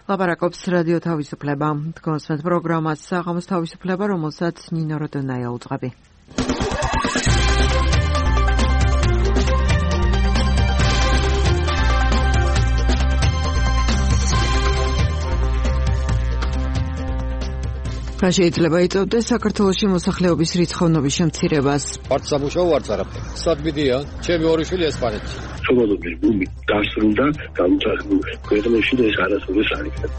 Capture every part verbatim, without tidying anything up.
ლაპარაკობს რადიო თავისუფლება. თქვენს პროგრამას საღამოს თავისუფლება, რომელსაც ნინო როდონაია უძღვები. რა შეიძლება იწვევდეს საქართველოში მოსახლეობის რიცხოვნობის შემცირებას? ვართ სამუშაო, ვართ არაფერი. სადმიდია, ჩემი ორი შვილი ესპანეთში. ცნობების ბუმი დასრულდა, განვითარებულ ქვეყნებში და ეს არასოდეს არ იქნება.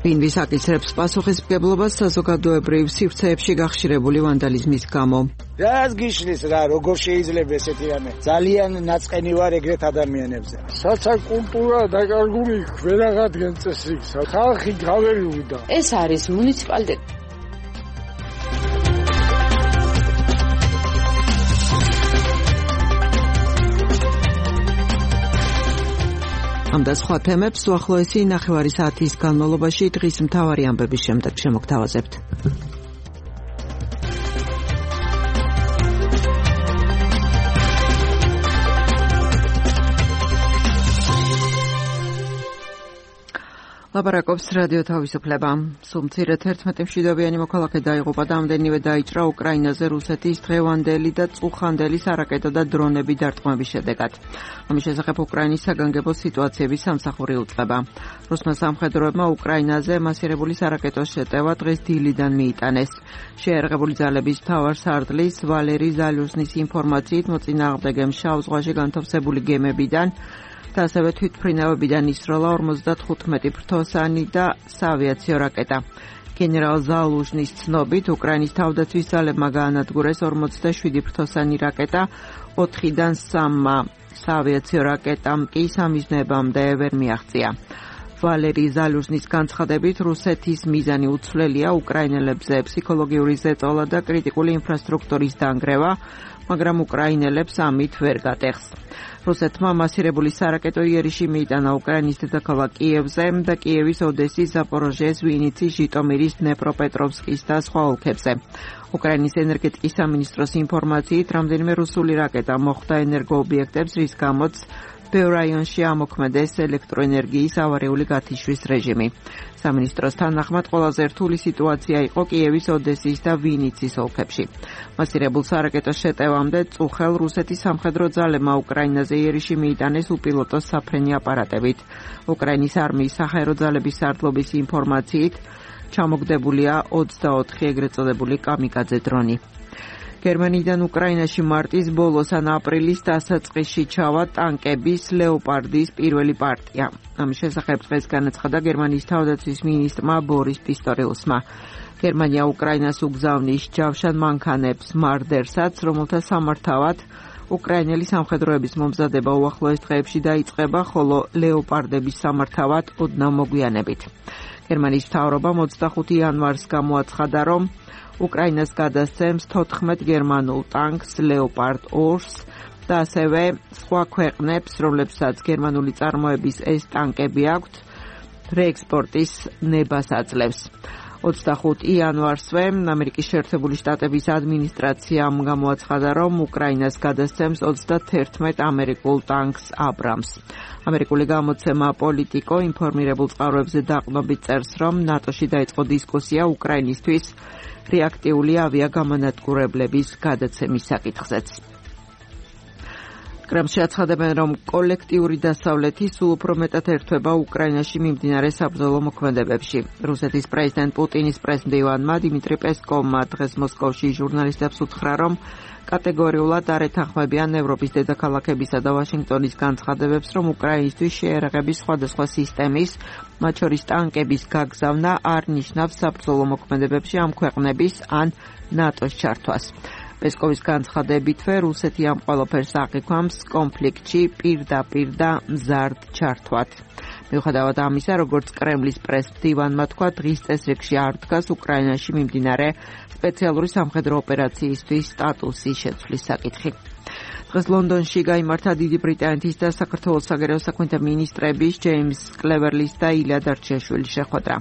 ვინ ვისაკისრებს პასუხისმგებლობას საზოგადოებრივ სივრცეებში გახშირებული ვანდალიზმის გამო? რას გიშლის რა, როგორ შეიძლება ესეთი რამე? ძალიან ნაწყენი ვარ ეგრეთ ადამიანებზე. საცაკულტურა დაკარგული ყველაღადგენ წესრიგს. ხალხი გაველუდა. ეს არის მუნიციპალიტეტი. ამ და სხვა თემებს უახლოესი ნახევარი საათის განმავლობაში დღის მთავარი ამბების შემდეგ შემოგთავაზებთ. ლაპარაკობს რადიო თავისუფლება. სულ მცირედ ერთმეტი მშვიდობიანი მოქალაქე დაიღუპა და ამდენივე დაიჭრა უკრაინაზე რუსეთის დღევანდელი და წუხანდელი სარაკეტო და დრონები დარტყმების შედეგად. ამის შესახებ უკრაინის საგანგებო სიტუაციების სამსახური უწყება. რუსმა სამხედროებმა უკრაინაზე მასირებული სარაკეტო შეტევა დღეს დილიდან მიიტანეს. შეერაღებული ძალების მთავარ სარდლის ვალერი ზალიუსნის ინფორმაციით მოწინააღმდეგემ შავ ზღვაში განთავსებული გემებიდან და ასევე თვითმფრინავებიდან ისროლა ორმოცდათხუთმეტი ფრთოსანი და საავიაციო რაკეტა. გენერალ ზალუჟნის ცნობით, უკრაინის თავდაცვის ძალებმა გაანადგურეს ორმოცდაშვიდი ფრთოსანი რაკეტა, ოთხიდან სამმა საავიაციო რაკეტამ კი სამიზნეებამდე ვერ მიაღწია. ვალერი ზალუჟნის განცხადებით, რუსეთის მიზანი უცვლელია უკრაინელებზე ფსიქოლოგიური ზეწოლა და კრიტიკული ინფრასტრუქტურის დანგრევა, მაგრამ უკრაინელებს ამით ვერ გატეხს. რუსეთმა მასირებული სარაკეტო იერიში მიიტანა უკრაინის დედაქალაქ კიევზე და კიევის, ოდესის, ზაპოროჟიეს, ვინიცის, ჟიტომირის, დნეპროპეტროვსკის და სხვა ოლქებზე. უკრაინის ენერგეტიკის სამინისტროს ინფორმაციით, რამდენიმე რუსული რაკეტა მოხვდა ენერგოობიექტებს, რის გამოც ბევრ რაიონში ამოქმედეს ელექტროენერგიის ავარიული გათიშვის რეჟიმი. სამინისტროს თანახმად ყველაზე რთული სიტუაცია იყო კიევის, ოდესის და ვინიცის ოლქებში. მასირებულ სარაკეტო შეტევამდე წუხელ რუსეთის სამხედრო ძალებმა უკრაინაზე იერიში მიიტანეს უპილოტო საფრენი აპარატებით. უკრაინის არმიის საჰაერო ძალების სარდლობის ინფორმაციით ჩამოგდებულია ოცდაოთხი ეგრეთ წოდებული კამიკაძე დრონი. გერმანიიდან უკრაინაში მარტის ბოლოს ან აპრილის დასაწყისში ჩავა ტანკების ლეოპარდის პირველი პარტია. ამის შესახებ დღეს განაცხადა გერმანიის თავდაცვის მინისტრმა ბორის პისტორიუსმა. გერმანია უკრაინას უგზავნის ჯავშან მანქანებს მარდერსაც, რომელთა სამართავად უკრაინელი სამხედროების მომზადება უახლოეს დღეებში დაიწყება, ხოლო ლეოპარდების სამართავად ოდნავ მოგვიანებით. გერმანიის მთავრობამ ოცდახუთი იანვარს გამოაცხადა, რომ უკრაინას გადასცემს თოთხმეტ გერმანულ ტანკს ლეოპარდ ორს და ასევე სხვა ქვეყნებს, რომლებსაც გერმანული წარმოების ეს ტანკები აქვთ, რეექსპორტის ნებას აძლევს. ოცდახუთი იანვარსვე ამერიკის შეერთებული შტატების ადმინისტრაციამ გამოაცხადა, რომ უკრაინას გადასცემს ოცდათერთმეტ ამერიკულ ტანკს აბრამს. ამერიკული გამოცემა პოლიტიკო ინფორმირებულ წყაროებზე დაყრდნობით წერს, რომ ნატოში დაიწყო დისკუსია უკრაინისთვის რეაქტიული ავიაგამონადგურებლების გადაცემის საკითხზეც. კრემლში აცხადებენ, რომ კოლექტიური დასავლეთი სულ უფრო მეტად ერთვება უკრაინაში მიმდინარე საბრძოლო მოქმედებებში. რუსეთის პრეზიდენტ პუტინის პრესმდივანმა დიმიტრი პესკოვმა დღეს მოსკოვში ჟურნალისტებს უთხრა, რომ კატეგორიულად არ ეთანხმებიან ევროპის დედაქალაქებისა და ვაშინგტონის განცხადებებს, რომ უკრაინისთვის შეერაღების სხვადასხვა სისტემის, მათ შორის ტანკების გაგზავნა არ ნიშნავს საბრძოლო მოქმედებებში ამ ქვეყნების ან ნატოს ჩართვას. პესკოვის განცხადებითვე რუსეთი ამ ყველაფერს აღიქვამს კონფლიქტში პირდაპირ და მზარდ ჩართვად. მიუხედავად ამისა, როგორც კრემლის პრესმდივანმა თქვა, დღის წესრიგში არ დგას უკრაინაში მიმდინარე სპეციალური სამხედრო ოპერაციისთვის სტატუსის შეცვლის საკითხი. დღეს ლონდონში გაიმართა დიდი ბრიტანეთის და საქართველოს საგარეო საქმეთა მინისტრების ჯეიმს კლევერლის და ილია დარჩიაშვილის შეხვედრა.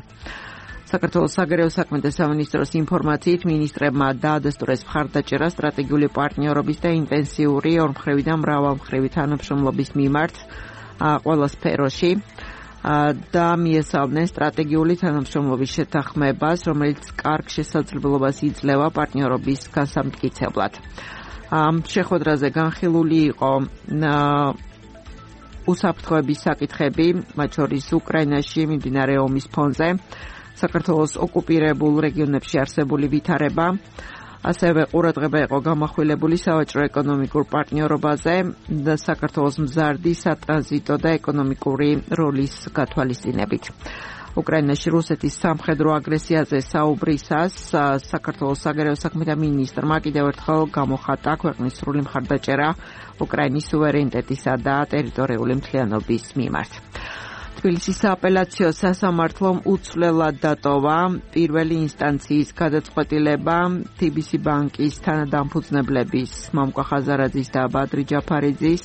საქართველოს საგარეო საქმეთა სამინისტროს ინფორმაციით მინისტრებმა დაადასტურეს მხარდაჭერა სტრატეგიული პარტნიორობის და ინტენსიური ორმხრივი და მრავალმხრივი თანამშრომლობის მიმართ ყველა სფეროში და მიესალმნენ სტრატეგიული თანამშრომლობის შეთანხმებას, რომელიც კარგ შესაძლებლობას იძლევა პარტნიორობის გასამტკიცებლად. ამ შეხვედრაზე განხილული იყო უსაფრთხოების საკითხები, მათ შორის უკრაინაში მიმდინარე ომის ფონზე, საქართველოს ოკუპირებულ რეგიონებში არსებული ვითარება, ასევე ყურადღება იყო გამახვილებული სავაჭრო ეკონომიკურ პარტნიორობაზე და საქართველოს მზარდი სატრანზიტო და ეკონომიკური როლის გათვალისწინებით. უკრაინაში რუსეთის სამხედრო აგრესიაზე საუბრისას საქართველოს საგარეო საქმეთა მინისტრმა კიდევ ერთხელ გამოხატა ქვეყნის სრული მხარდაჭერა უკრაინის სუვერენიტეტისა და ტერიტორიული მთლიანობის მიმართ. თბილისის სააპელაციო სასამართლომ უცვლელად დატოვა პირველი ინსტანციის გადაწყვეტილება თი ბი სი ბანკის თანადამფუძნებლების მამუკა ხაზარაძის და ბადრი ჯაფარიძის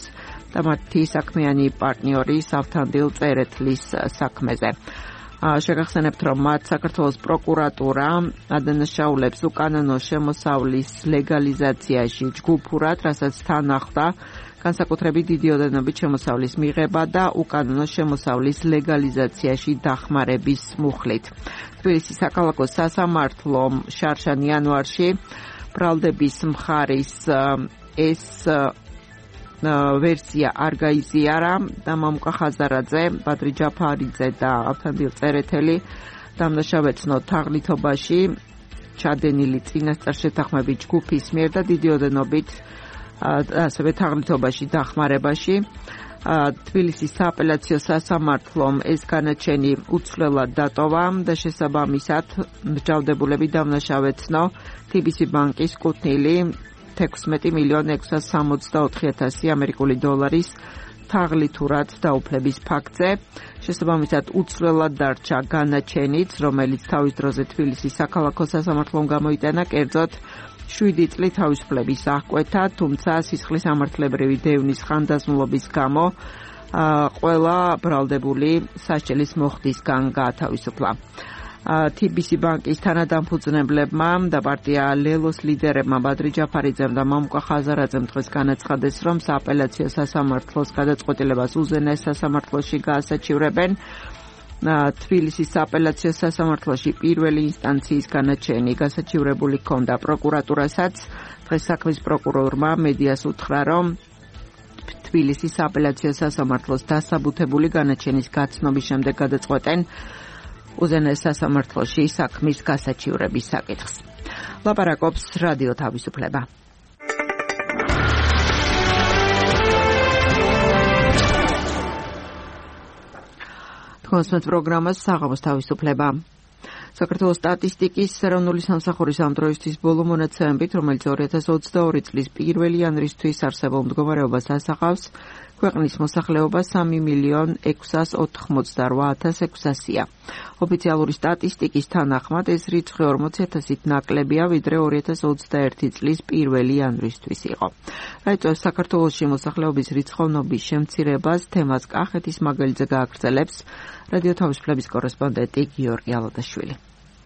და მათი საქმიანი პარტნიორის ავთანდილ წერეთლის საქმეზე. შეგახსენებთ, რომ მათ საქართველოს პროკურატურა ადანაშაულებს უკანონო შემოსავლის ლეგალიზაციაში ჯგუფურად, რასაც თან ახლდა განსაკუთრებით დიდი ოდენობით შემოსავლის მიღება და უკანონო შემოსავლის ლეგალიზაციაში დახმარების მუხლით. თბილისის საქალაქო სასამართლომ შარშან იანვარში ბრალდების მხარის ეს ვერსია არ გაიზიარა და მამუკა ხაზარაძე, ბადრი ჯაფარიძე და ავთანდილ წერეთელი დამნაშავეცნო თაღლითობაში ჩადენილი წინასწარ შეთანხმებით ჯგუფის მიერ და დიდი ოდენობით ასევე თაღლითობაში დახმარებაში. თბილისის სააპელაციო სასამართლომ ეს განაჩენი უცვლელად დატოვა და შესაბამისად მსჯავრდებულები დამნაშავეცნო თი ბი სი ბანკის კუთვნილი თექვსმეტი მილიონი ექვსას სამოცდაოთხი ათასი ამერიკული დოლარის თაღლითურად დაუფლების ფაქტზე. შესაბამისად უცვლელად დარჩა განაჩენიც, რომელიც თავის დროზე თბილისის საქალაქო სასამართლომ გამოიტანა, კერძოდ შვიდი წლით თავისუფლების აღკვეთა, თუმცა სისხლის ამართლებრივი დევნის ხანდაზმულობის გამო ყველა ბრალდებული სასჯელის მოხდისგან გაათავისუფლა. თი ბი სი ბანკის თანადამფუძნებლებმა და პარტია ლელოს ლიდერებმა ბადრი ჯაფარიძემ და მამუკა ხაზარაძემ დღეს განაცხადეს, რომ სააპელაციო სასამართლოს გადაწყვეტილებას უზენაეს სასამართლოში გაასაჩივრებენ. თბილისის სააპელაციო სასამართლოში პირველი ინსტანციის განაჩენი გასაჩივრებული ჰქონდა პროკურატურასაც. დღეს საქმის პროკურორმა მედიას უთხრა, რომ თბილისის სააპელაციო სასამართლოს დასაბუთებული განაჩენის გაცნობის შემდეგ გადაწყვეტენ უზენაეს სასამართლოში საქმის გასაჩივრების საკითხს. ლაპარაკობს რადიო თავისუფლება. თქვენს პროგრამას საღამოს თავისუფლება. საქართველოს სტატისტიკის ეროვნული სამსახურის ამ დროისთვის ბოლო მონაცემებით, რომელიც ორი ათას ოცდაორი წლის პირველი იანვრისთვის არსებულ მდგომარეობას ასახავს, ქვეყნის მოსახლეობა სამი მილიონ ექვსას ოთხმოცდარვა ათას ექვსასია. ოფიციალური სტატისტიკის თანახმად ეს რიცხვი ორმოცი ათასით ნაკლებია, ვიდრე ორი ათას ოცდაერთი წლის პირველი იანვრისთვის იყო. რაიწვევს საქართველოში მოსახლეობის რიცხოვნობის შემცირებას, თემას კახეთის მაგალითზე გააგრძელებს რადიო თავისუფლების კორესპონდენტი გიორგი ალადაშვილი.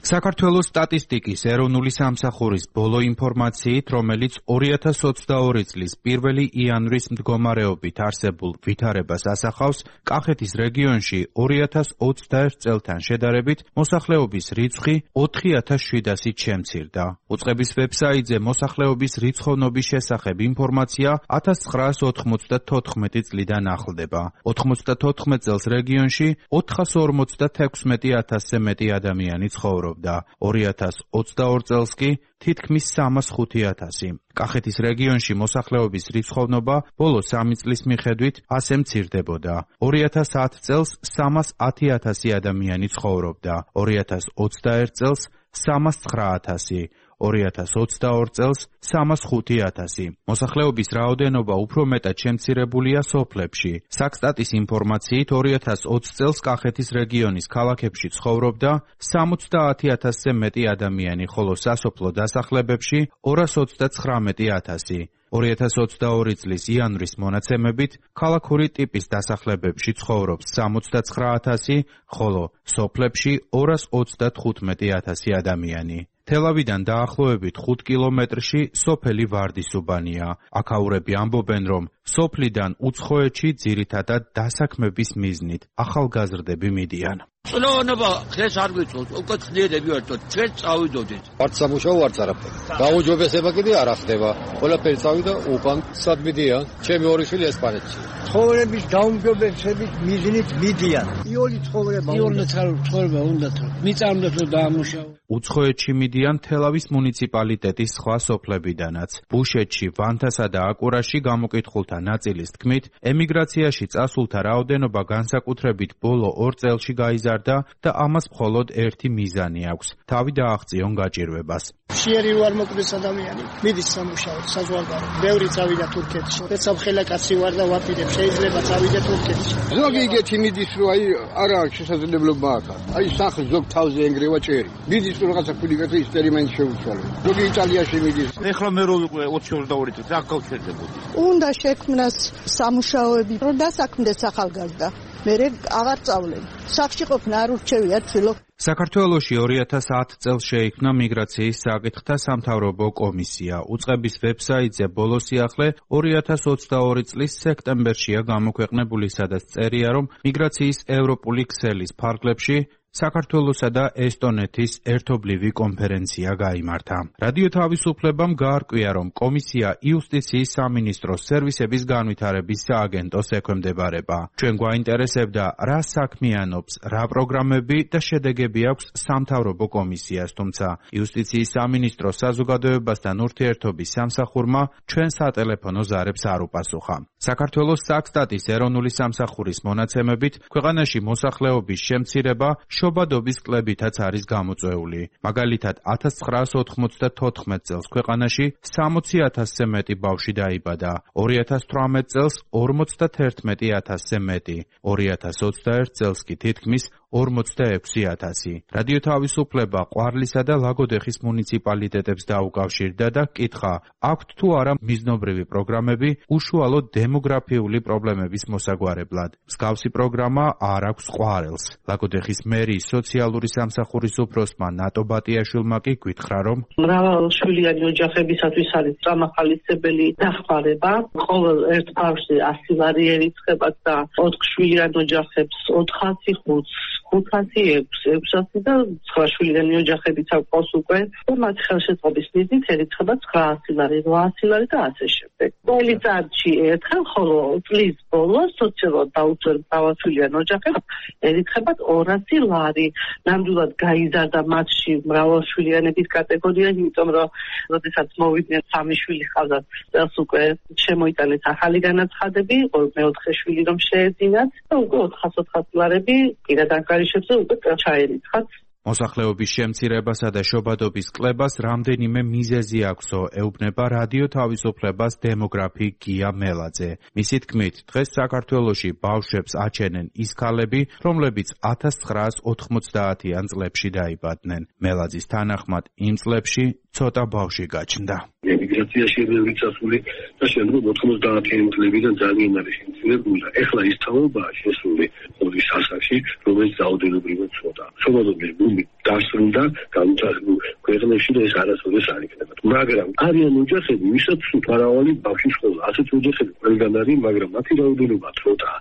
საქართველოს სტატისტიკის ეროვნული სამსახურის ბოლო ინფორმაციით, რომელიც ორი ათას ოცდაორი წლის პირველი იანვრის მდგომარეობით არსებულ ვითარებას ასახავს, კახეთის რეგიონში ორი ათას ოცდაერთ წელთან შედარებით მოსახლეობის რიცხვი ოთხი ათას შვიდასით შემცირდა. უწყების ვებსაიტზე მოსახლეობის რიცხოვნობის შესახებ ინფორმაცია ათას ცხრაას ოთხმოცდათოთხმეტი წლიდან ახლდება. ოთხმოცდათოთხმეტ წელს რეგიონში ოთხას ორმოცდათექვსმეტი ათასზე მეტი ადამიანი ცხოვრობს. ორი ათას ოცდაორ წელს კი თითქმის სამას ხუთი ათასი. კახეთის რეგიონში მოსახლეობის რიცხოვნობა ბოლო სამი წლის მიხედვით ასე მცირდებოდა. ორი ათას ათ წელს სამას ათი ათასი ადამიანი ცხოვრობდა. ორი ათას ოცდაერთ წელს სამას ცხრა ათასი. ორი ათას ოცდაორ წელს სამას ხუთი ათასი. მოსახლეობის რაოდენობა უფრო მეტად შემცირებულია სოფლებში. საქსტატის ინფორმაციით ორი ათას ოცდაათ წელს კახეთის რეგიონის ქალაქებში ცხოვრობდა სამოცდაათი ათასზე მეტი ადამიანი, ხოლო სასოფლო დასახლებებში ორას ოცდაცხრამეტი ათასი. ორი ათას ოცდაორი წლის იანვრის მონაცემებით ქალაქური ტიპის დასახლებებში ცხოვრობს სამოცდაცხრა ათასი, ხოლო სოფლებში ორას ოცდათხუთმეტი ათასი ადამიანი. თელავიდან დაახლოებით ხუთ კილომეტრში სოფელი ვარდისუბანია. აქაურები ამბობენ, რომ სოფლიდან უცხოეთში ძირითადად დასაქმების მიზნით ახალგაზრდები მიდიან. წლოვანობა დღეს არ ვიცოთ, უკვე ხნიერები ვართ, ჩვენ წავიდოდით. არც სამუშაო, არც არაფერი. გაუჯობესება კიდე არ ახდება. ყველაფერი წავიდა უკან, სად მიდიან? ჩემი ორი შვილი ესპანეთში. ცხოვრების გაუმჯობესების მიზნით მიდიან. იოლი ცხოვრება უნდა ცხოვრება უნდა თუ მიწამდათ რომ დაამუშავო. უცხოეთში მიდიან თელავის მუნიციპალიტეტის სხვა სოფლებიდანაც. ბუშეთში, ვანთასა და აკურაში გამოკითხულთა ნაწილის თქმით, ემიგრაციაში წასულთა რაოდენობა განსაკუთრებით ბოლო ორ წელში გაიზარდა და ამას მხოლოდ ერთი მიზანი აქვს. თავი დააღწიონ გაჭირვებას. შეერი ვარ მოკვდეს ადამიანი. მიდის სამუშაოდ, საზღვარგარეთ. ბევრი წავიდა თურქეთში. ეცავ ხელა კაცი ვარ და ვაპირებ, შეიძლება წავიდე თურქეთში. ზოგი იგეთი მიდის რომ აი არა აქვს შესაძლებლობა აქ. აი სახლ ზოგ თავზე ენგრევა ჭერი. მიდის რომ რაღაცა ფულიკატი ექსპერიმენტი შეუცვალო. ზოგი იტალიაში მიდის. ეხლა მე რო ვიყო ოცი ოცდაორი წელს აქ გავჩერდებოდი. უნდა შექმნას სამუშაოები, რომ დასაქმდეს ახალგაზრდა. მე აღარ წავლენ. სახში ყოფნა არ ურჩევია თვილო. საქართველოში ორი ათას ათ წელს შეიქმნა მიგრაციის საკითხთა სამთავრობო კომისია. უწყების ვებსაიტზე ბოლო სიახლე ორი ათას ოცდაორი წლის სექტემბერშია გამოქვეყნებული, სადაც წერია, რომ მიგრაციის ევროპული ქსელის ფარგლებში საქართველოსა და ესტონეთის ერთობლივი კონფერენცია გაიმართა. რადიო თავისუფლებამ გაარკვია, რომ კომისია იუსტიციის სამინისტროს სერვისების განვითარების სააგენტოს ექვემდებარება. ჩვენ გვაინტერესებდა, რა საქმიანობს, რა პროგრამები და შედეგები აქვს სამთავრობო კომისიას, თუმცა იუსტიციის სამინისტროს საზოგადოებასთან ურთიერთობის სამსახურმა ჩვენ სატელეფონო ზარებს არ უპასუხა. საქართველოს საქსტატის ეროვნული სამსახურის მონაცემებით, ქვეყანაში მოსახლეობის შემცირება შობადობის კლებითაც არის გამოწვეული. მაგალითად, ათას ცხრაას ოთხმოცდათოთხმეტ წელს ქვეყანაში სამოცი ათასზე მეტი ბავშვი დაიბადა, ორი ათას თვრამეტ წელს ორმოცდათერთმეტი ათასზე მეტი, ორი ათას ოცდაერთ წელს კი თითქმის ორმოცდაექვსი ათასი. რადიო თავისუფლება ყვარლისა და ლაგოდეხის მუნიციპალიტეტებს დაუკავშირდა და კითხა, აქვთ თუ არა მიზნობრივი პროგრამები უშუალოდ დემოგრაფიული პრობლემების მოსაგვარებლად. მსგავსი პროგრამა არ აქვს ყვარელს. ლაგოდეხის მერიის სოციალური სამსახურის უფროსმა ნატო ბატიაშვილმა კი გითხრა, რომ მრავალშვილიანი ოჯახებისათვის არის წამახალისებელი დახმარება. ყოველ ერთ ბავშვზე ასი ლარი ერიცხება და ოთხშვილიან ოჯახებს ოთხასი ხუთს ხუთასი ექვსი ექვსასი და ცხრაშვილიანი ოჯახებიც აქვს უკვე და მათი ხელშეწყობის მიზნით ერიცხება ცხრაასი ლარი, რვაასი ლარი და ასე შემდეგ. წელიწადში ერთხელ, ხოლო წლის ბოლოს სოციალურად დაუცველ მრავალშვილიან ოჯახებს ერიცხებათ ორასი ლარი. ნამდვილად გაიზარდა მათში მრავალშვილიანების კატეგორია, იმიტომ რომ როდესაც მოვიდნენ სამი შვილი ჰყავდათ, წელს უკვე შემოიტანეს ახალი განაცხადები, მეოთხე შვილი რომ შეეძინათ და უკვე ოთხას ოთხასი ლარები პირად ანგარიშებზე უკვე ჩაერიცხათ. მოსახლეობის შემცირებასა და შობადობის კლებას რამდენიმე მიზეზი აქვსო, ეუბნება რადიო თავისუფლებას დემოგრაფი გია მელაძე. მისი თქმით, დღეს საქართველოში ბავშვებს აჩენენ ის ქალები, რომლებიც ათას ცხრაას ოთხმოცდაათიან წლებში დაიბადნენ. მელაძის თანახმად, იმ წლებში ცოტა ბავშვი გაჩნდა. ემიგრაციაში ბევრი წასული და შემდგომ ოთხმოცდაათიან წლებიდან ძალიან არის შემცირებული და ეხლა ის თაობაა შესული ორი სასახში, რომელიც რაოდენობრივად ცოტა. შობადობის ბუმი დასრულდა განვითარებულ ქვეყნებში და ეს არასოდეს არ იქნება. მაგრამ არიან ოჯახები, ვისაც მრავალი ბავშვი ჰყავს. ასეთ ოჯახები ყველგან არის, მაგრამ მათი რაოდენობა ცოტაა.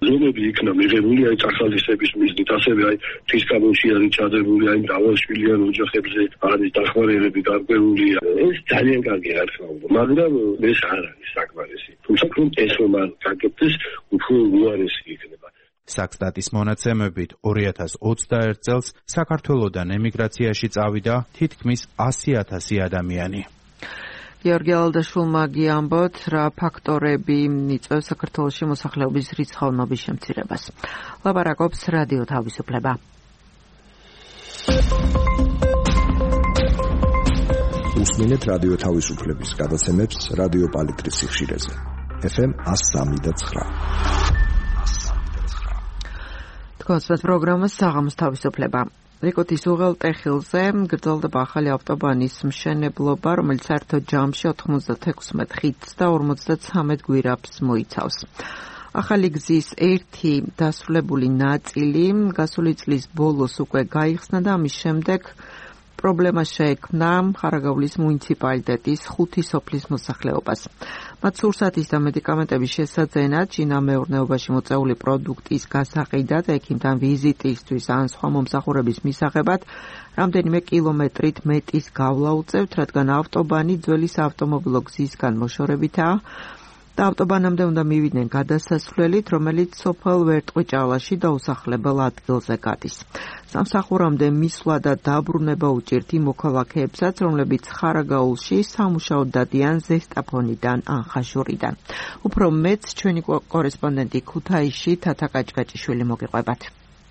ზომები იქნა მიღებული აი წახალისების მიზნით, ასევე აი ფისკალში არის ჩადებული აი მრავალშვილიან ოჯახებზე არის დახმარებები გარკვეულია. ეს ძალიან კარგი არხაულო, მაგრამ ეს არ არის საკმარისი. თუმცა ეს რომ არ გაკეთდეს, უფრო უარესი იქნება. საქსტატის მონაცემებით ორი ათას ოცდაერთ წელს საქართველოდან ემიგრაციაში წავიდა თითქმის ასი ათასი ადამიანი. გიორგი ალდაშვილმა გიამბოთ, რა ფაქტორები იწვევს საქართველოში მოსახლეობის რიცხოვნობის შემცირებას. ლაპარაკობს რადიო თავისუფლება. უსმინეთ რადიო თავისუფლების გადაცემებს რადიო პალიტრის სიხშირეზე. ეფ ემ one oh three point nine. თქვენს პროგრამას საღამოს თავისუფლება. რიკოტის უღელტეხილზე გრძელდება ახალი ავტობანის მშენებლობა, რომელიც საერთო ჯამში ოთხმოცდათექვსმეტ ხიდს და ორმოცდათვრამეტ გვირაბს მოიცავს. ახალი გზის ერთი დასრულებული ნაწილი გასული წლის ბოლოს უკვე გაიხსნა და ამის შემდეგ პრობლემა შეექმნა ხარაგაულის მუნიციპალიტეტის ხუთი სოფლის მოსახლეობას. მათ სურსათის და მედიკამენტების შესაძენად შინამეურნეობაში მოწეული პროდუქტის გასაყიდად, ექიმთან ვიზიტისთვის ან სხვა მომსახურების მისაღებად რამდენიმე კილომეტრით მეტის გავლა უწევთ, რადგან ავტობანი ძველი საავტომობილო გზისგან მოშორებითაა და ავტობანამდე უნდა მივიდნენ გადასასვლელით, რომელიც სოფელ ვერტყვიჭალაში დაუსახლებელ ადგილზე გადის. სამსახურამდე მისვლა და დაბრუნება უჭირთ იმ მოქალაქეებსაც, რომლებიც ხარაგაულში სამუშაოდ დადიან ზესტაფონიდან ან ხაშურიდან. უფრო მეც ჩვენი კორესპონდენტი ქუთაისში თათა კაჭკაჭიშვილი მოგიყვებათ.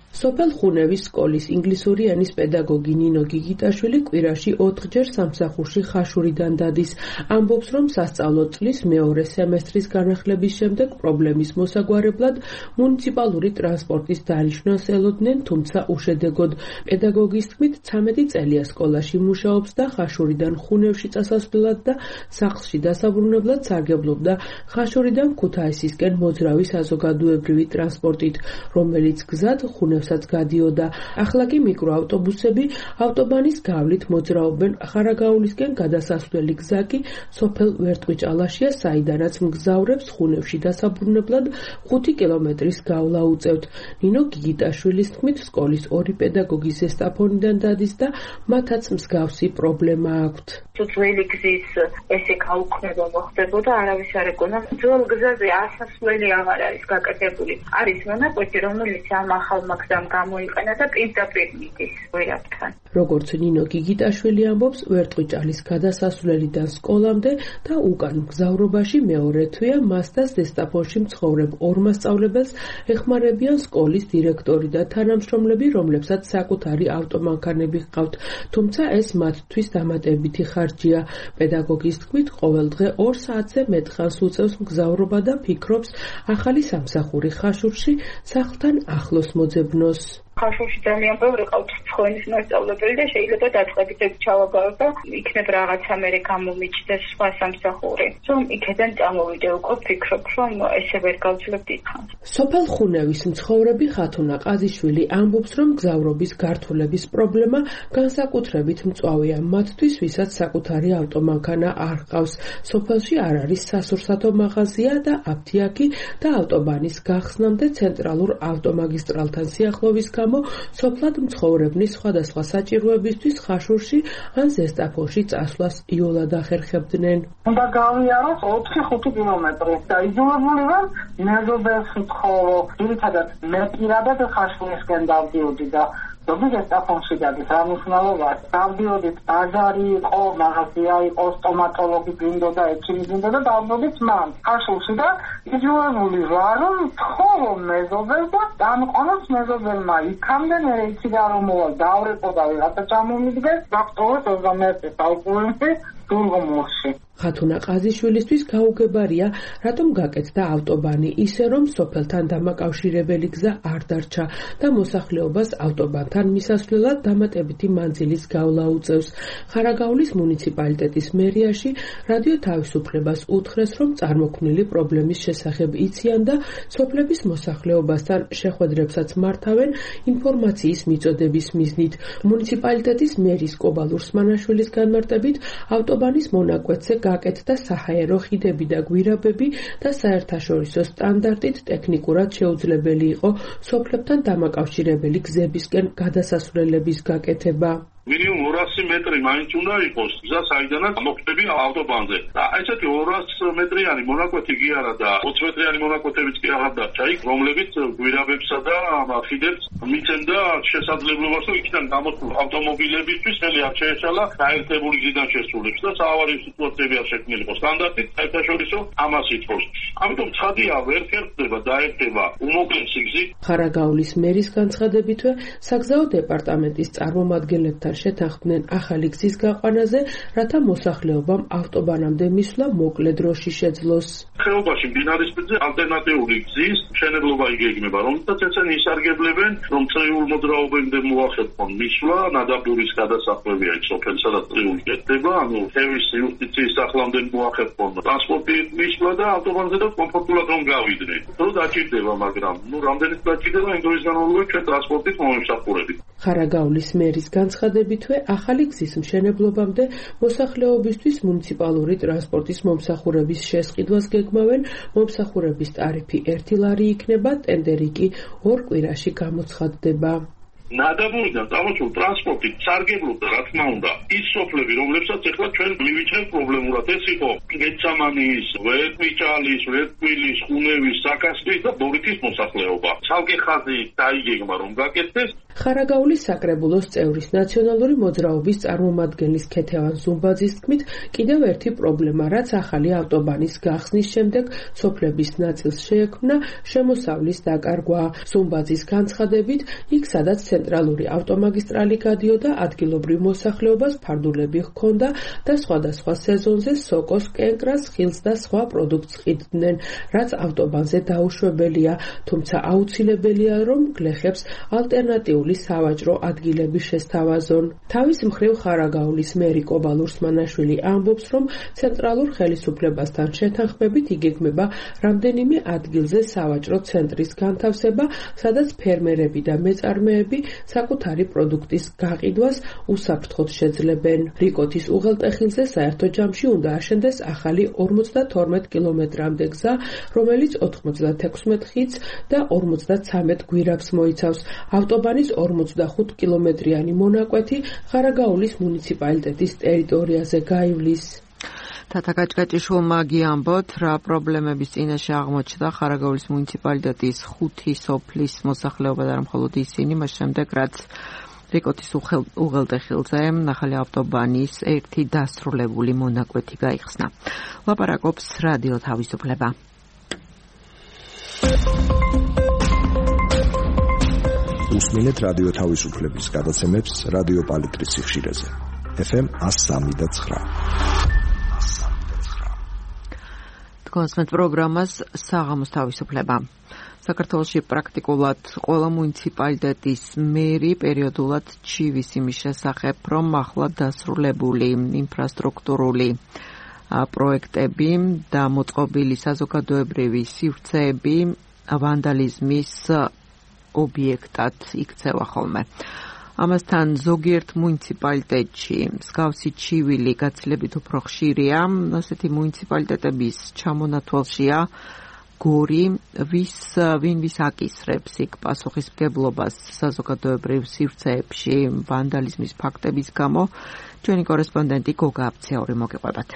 სოფელ ხუნევის სკოლის ინგლისური ენის პედაგოგი ნინო გიგიტაშვილი კვირაში ოთხჯერ სამსახურში ხაშურიდან დადის. ამბობს, რომ სასწავლო წლის მეორე სემესტრის განახლების შემდეგ პრობლემის მოსაგვარებლად მუნიციპალური ტრანსპორტის დარიშვას ელოდნენ, თუმცა უშედეგოდ. პედაგოგის თქმით, ცამეტი წელია სკოლაში მუშაობს და ხაშურიდან ხუნევში წასასვლელად და სახლში დასაბრუნებლად სარგებლობდა ხაშურიდან ქუთაისისკენ მოძრავი საზოგადოებრივი ტრანსპორტით, რომელიც გზად ხუნევ გადიოდა. ახლა კი მიკროავტობუსები ავტობანის გავლით მოძრაობენ. ხარაგაულისკენ გადასასვლელი გზა კი სოფელ ვერტყვიჭალაშია, საიდანაც მგზავრებს ხუნევში დასაბრუნებლად ხუთი კილომეტრის გავლა უწევთ. ნინო გიგიტაშვილის თქმით, სკოლის ორი პედაგოგი ზესტაფონიდან დადის და მათაც მსგავსი პრობლემა აქვთ. ძველი გზის ესე გაუქმება მოხდებოდა, არავის არ ეკონა. ძველ გზაზე ასასვლელი აღარ არის გაკეთებული. არის მონაკვეთი, რომელიც ამ ახალ მაგდამ გამოიყენა და პირდაპირ მიდის ვერაფერთან. როგორც ნინო გიგიტაშვილი ამბობს, ვერტყვიჭალის გადასასვლელიდან სკოლამდე და უკან მგზავრობაში მეორე თვეა მას და ზესტაფონში მცხოვრებ ორ მასწავლებელს ეხმარებიან სკოლის დირექტორი და თანამშრომლები, რომლებსაც საკუთარი ავტომანქანები ჰყავთ, თუმცა ეს მათთვის დამატებითი ხარჯია. პედაგოგის თქმით, ყოველ დღე ორ საათზე მეტ ხანს უწევს მგზავრობა და ფიქრობს ახალი სამსახური ხაშურში სახლთან ახლოს მოძებნოს. ხაშურში ძალიან ბევრი ყავთ ცხოენის მასწავლებელი და შეიძლება დაწყებით ჩავაგავებ და იქნებ რაღაცა მერე გამომიჩნდეს სხვა სამსახური. რომ იქიდან წამოვიდე უკვე ვფიქრობ, რომ ესე ვერ გავძლებ დიდხანს. სოფელ ხუნევის მცხოვრები ხათუნა ყაზიშვილი ამბობს, რომ გზავრობის გართულების პრობლემა განსაკუთრებით მწვავეა მათთვის, ვისაც საკუთარი ავტომანქანა არ ჰყავს. სოფელში არ არის სასურსათო მაღაზია და აფთიაქი და ავტობანის გახსნამდე ცენტრალურ ავტომაგისტრალთან სიახლოვის სოფლად მცხოვრებნის სხვადასხვა საჭიროებისთვის ხაშურში ან ზესტაფონში წასვლას იოლად ახერხებდნენ. უნდა გავიაროთ ოთხი ხუთი კილომეტრი და იძულებული ვარ მეზობელს ვთხოვო. ძირითადად მე პირადად ხაშურისკენ დავდიოდი და ზოგი ზესტაფონში დადის რა მნიშვნელობა. დავდიოდით ბაზარი იყო, მაღაზია იყო, სტომატოლოგი გინდოდა, ექიმი გინდოდა, დავდიოდით მან ხაშურში და იძულებული ვარ რომ ვთხოვო მეზობელს და დამყონოს მეზობელმა იქამდე მე იქიდან რომ მოვალ დავრეკო და ვიღაცა ჩამომიდგეს ვაქტოვეს ოცდამეერთე საუკუნეში დურგომორში. ხათუნა ყაზიშვილისთვის გაუგებარია, რატომ გაკეთდა ავტობანი ისე, რომ სოფელთან დამაკავშირებელი გზა არ დარჩა და მოსახლეობას ავტობანთან მისასვლელად დამატებითი მანძილის გავლა უწევს. ხარაგაულის მუნიციპალიტეტის მერიაში რადიო თავისუფლებას უთხრეს, რომ წარმოქმნილი პრობლემის შესახებ იციან და სოფლების მოსახლეობასთან შეხვედრებსაც მართავენ ინფორმაციის მიწოდების მიზნით. მუნიციპალიტეტის მერის კობალ ურსმანაშვილის განმარტებით, ავტობანის მონაკვეთზე გაკეთდა საჰაერო ხიდები და გვირაბები და საერთაშორისო სტანდარტით ტექნიკურად შეუძლებელი იყო სოფლებთან დამაკავშირებელი გზებისკენ გადასასვლელების გაკეთება. მინიმუმ ორასი მეტრი მაინც უნდა იყოს გზა, საიდანაც მოხვდები ავტობანზე. და ესეთი ორასი მეტრიანი მონაკვეთი კი არა და ოცი მეტრიანი მონაკვეთებიც კი აღარ დარჩა იქ, რომლებიც გვირაბებსა და ხიდებს მიცემდა შესაძლებლობას, რომ იქიდან გამოსულ ავტომობილებისთვის ხელი არ შეეცალა გაერთებული გზიდან შესულებს და საავარიო სიტუაციები არ შექმნილიყო. სტანდარტით საერთაშორისო ამას ითხოვს. ამიტომ ცხადია, ვერ ხერხდება დაერქება უმოკლესი გზით. ხარაგაულის მერის განცხადებითვე საგზაო დეპარტამენტის წარმომადგენლებთან შეთანხმდნენ ახალი გზის გაყვანაზე, რათა მოსახლეობამ ავტობანამდე მისვლა მოკლე დროში შეძლოს. ხეობაში მდინარისპირზე ალტერნატიული გზის მშენებლობა იგეგმება, რომელსაც ეცენ ისარგებლებენ, რომ წრიულ მოძრაობამდე მოახერხონ მისვლა, ნადაბურის გადასახვევია იქ სოფელ, სადაც წრიული კეთდება, ანუ თევის იუსტიციის სახლამდე მოახერხონ ტრანსპორტი მისვლა და ავტობანზე და კომფორტულად რომ გავიდნენ. დრო დაჭირდება, მაგრამ ნუ რამდენიც დაჭირდება, იმ დროის განმავლობაში ჩვენ ტრანსპორტით მომიმსახურებით. ხარაგაულის მერის განცხადებითვე ახალი გზის მშენებლობამდე მოსახლეობისთვის მუნიციპალური ტრანსპორტის მომსახურების შესყიდვას გეგმავენ, მომსახურების ტარიფი ერთი ლარი იქნება, ტენდერი კი ორ კვირაში გამოცხადდება. ნადაბურიდან წამოსულ ტრანსპორტით სარგებლობდა, რა თქმა უნდა, ის სოფლები, რომლებსაც ახლა ჩვენ მივიჩნევთ პრობლემურად, ეს იყო გეცამანის, ვერტმიჭალის, ვერტკვილის, ხუნევის, საკასრის და ბორითის მოსახლეობა. ცალკე ხაზი დაიგეგმა, რომ გაკეთდეს. ხარაგაულის საკრებულოს წევრის ნაციონალური მოძრაობის წარმომადგენლის ქეთევან ზუმბაძის თქმით, კიდევ ერთი პრობლემა, რაც ახალი ავტობანის გახსნის შემდეგ სოფლების ნაწილს შეექმნა, შემოსავლის დაკარგვა. ზუმბაძის განცხადებით, იქ სადაც ცენტრალური ავტომაგისტრალი გადიოდა, ადგილობრივ მოსახლეობას ფარდულები ჰქონდა და სხვადასხვა სეზონზე სოკოს, კენკრას, ხილს და სხვა პროდუქტს ყიდდნენ, რაც ავტობანზე დაუშვებელია, თუმცა აუცილებელია, რომ გლეხებს ალტერნატიული სავაჭრო ადგილები შესთავაზონ. თავის მხრივ ხარაგაულის მერი კობალ ურსმანაშვილი ამბობს, რომ ცენტრალურ ხელისუფლებასთან შეთანხმებით იგეგმება რამდენიმე ადგილზე სავაჭრო ცენტრის განთავსება, სადაც ფერმერები და მეწარმეები საკუთარი პროდუქტის გაყიდვას უსაფრთხოდ შეძლებენ. რიკოთის უღელტეხილზე საერთო ჯამში უნდა აშენდეს ახალი ორმოცდათორმეტ კილომეტრამდე გზა, რომელიც ოთხმოცდათექვსმეტ ხიდს და ორმოცდაცამეტ გვირაბს მოიცავს. ავტობანის ორმოცდახუთ კილომეტრიანი მონაკვეთი ხარაგაულის მუნიციპალიტეტის ტერიტორიაზე გაივლის. თათა გაჭგაჭიშვილმა გიამბოთ, რა პრობლემების წინაშე აღმოჩნდა ხარაგაულის მუნიციპალიტეტის ხუთი სოფლის მოსახლეობა და არა მხოლოდ ისინი, მას შემდეგ რაც რიკოთის უღელტეხილზე ახალი ავტობანის ერთი დასრულებული მონაკვეთი გაიხსნა. ლაპარაკობს რადიო თავისუფლება. უსმინეთ რადიო თავისუფლების გადაცემებს რადიო პალიტრის სიხშირეზე. ეფ ემ εκατო სამი და ცხრა. კონსმეთ პროგრამას საღამოს თავისუფლება. საქართველოში პრაქტიკულად ყველა მუნიციპალიტეტის მერი პერიოდულად ჩივის იმის შესახებ, რომ ახლა დასრულებული ინფრასტრუქტურული პროექტები და მოწყობილი საზოგადოებრივი სივრცეები ვანდალიზმის ობიექტად იქცევა ხოლმე. ამასთან ზოგიერთ მუნიციპალიტეტში მსგავსი ჩივილი გაცილებით უფრო ხშირია, ასეთი მუნიციპალიტეტების ჩამონათვალშია გორი, ვის ვინ ვის აკისრებს იქ პასუხისმგებლობას საზოგადოებრივ სივრცეებში ვანდალიზმის ფაქტების გამო. ჩვენი კორესპონდენტი გოგა აფციური მოგიყვებათ.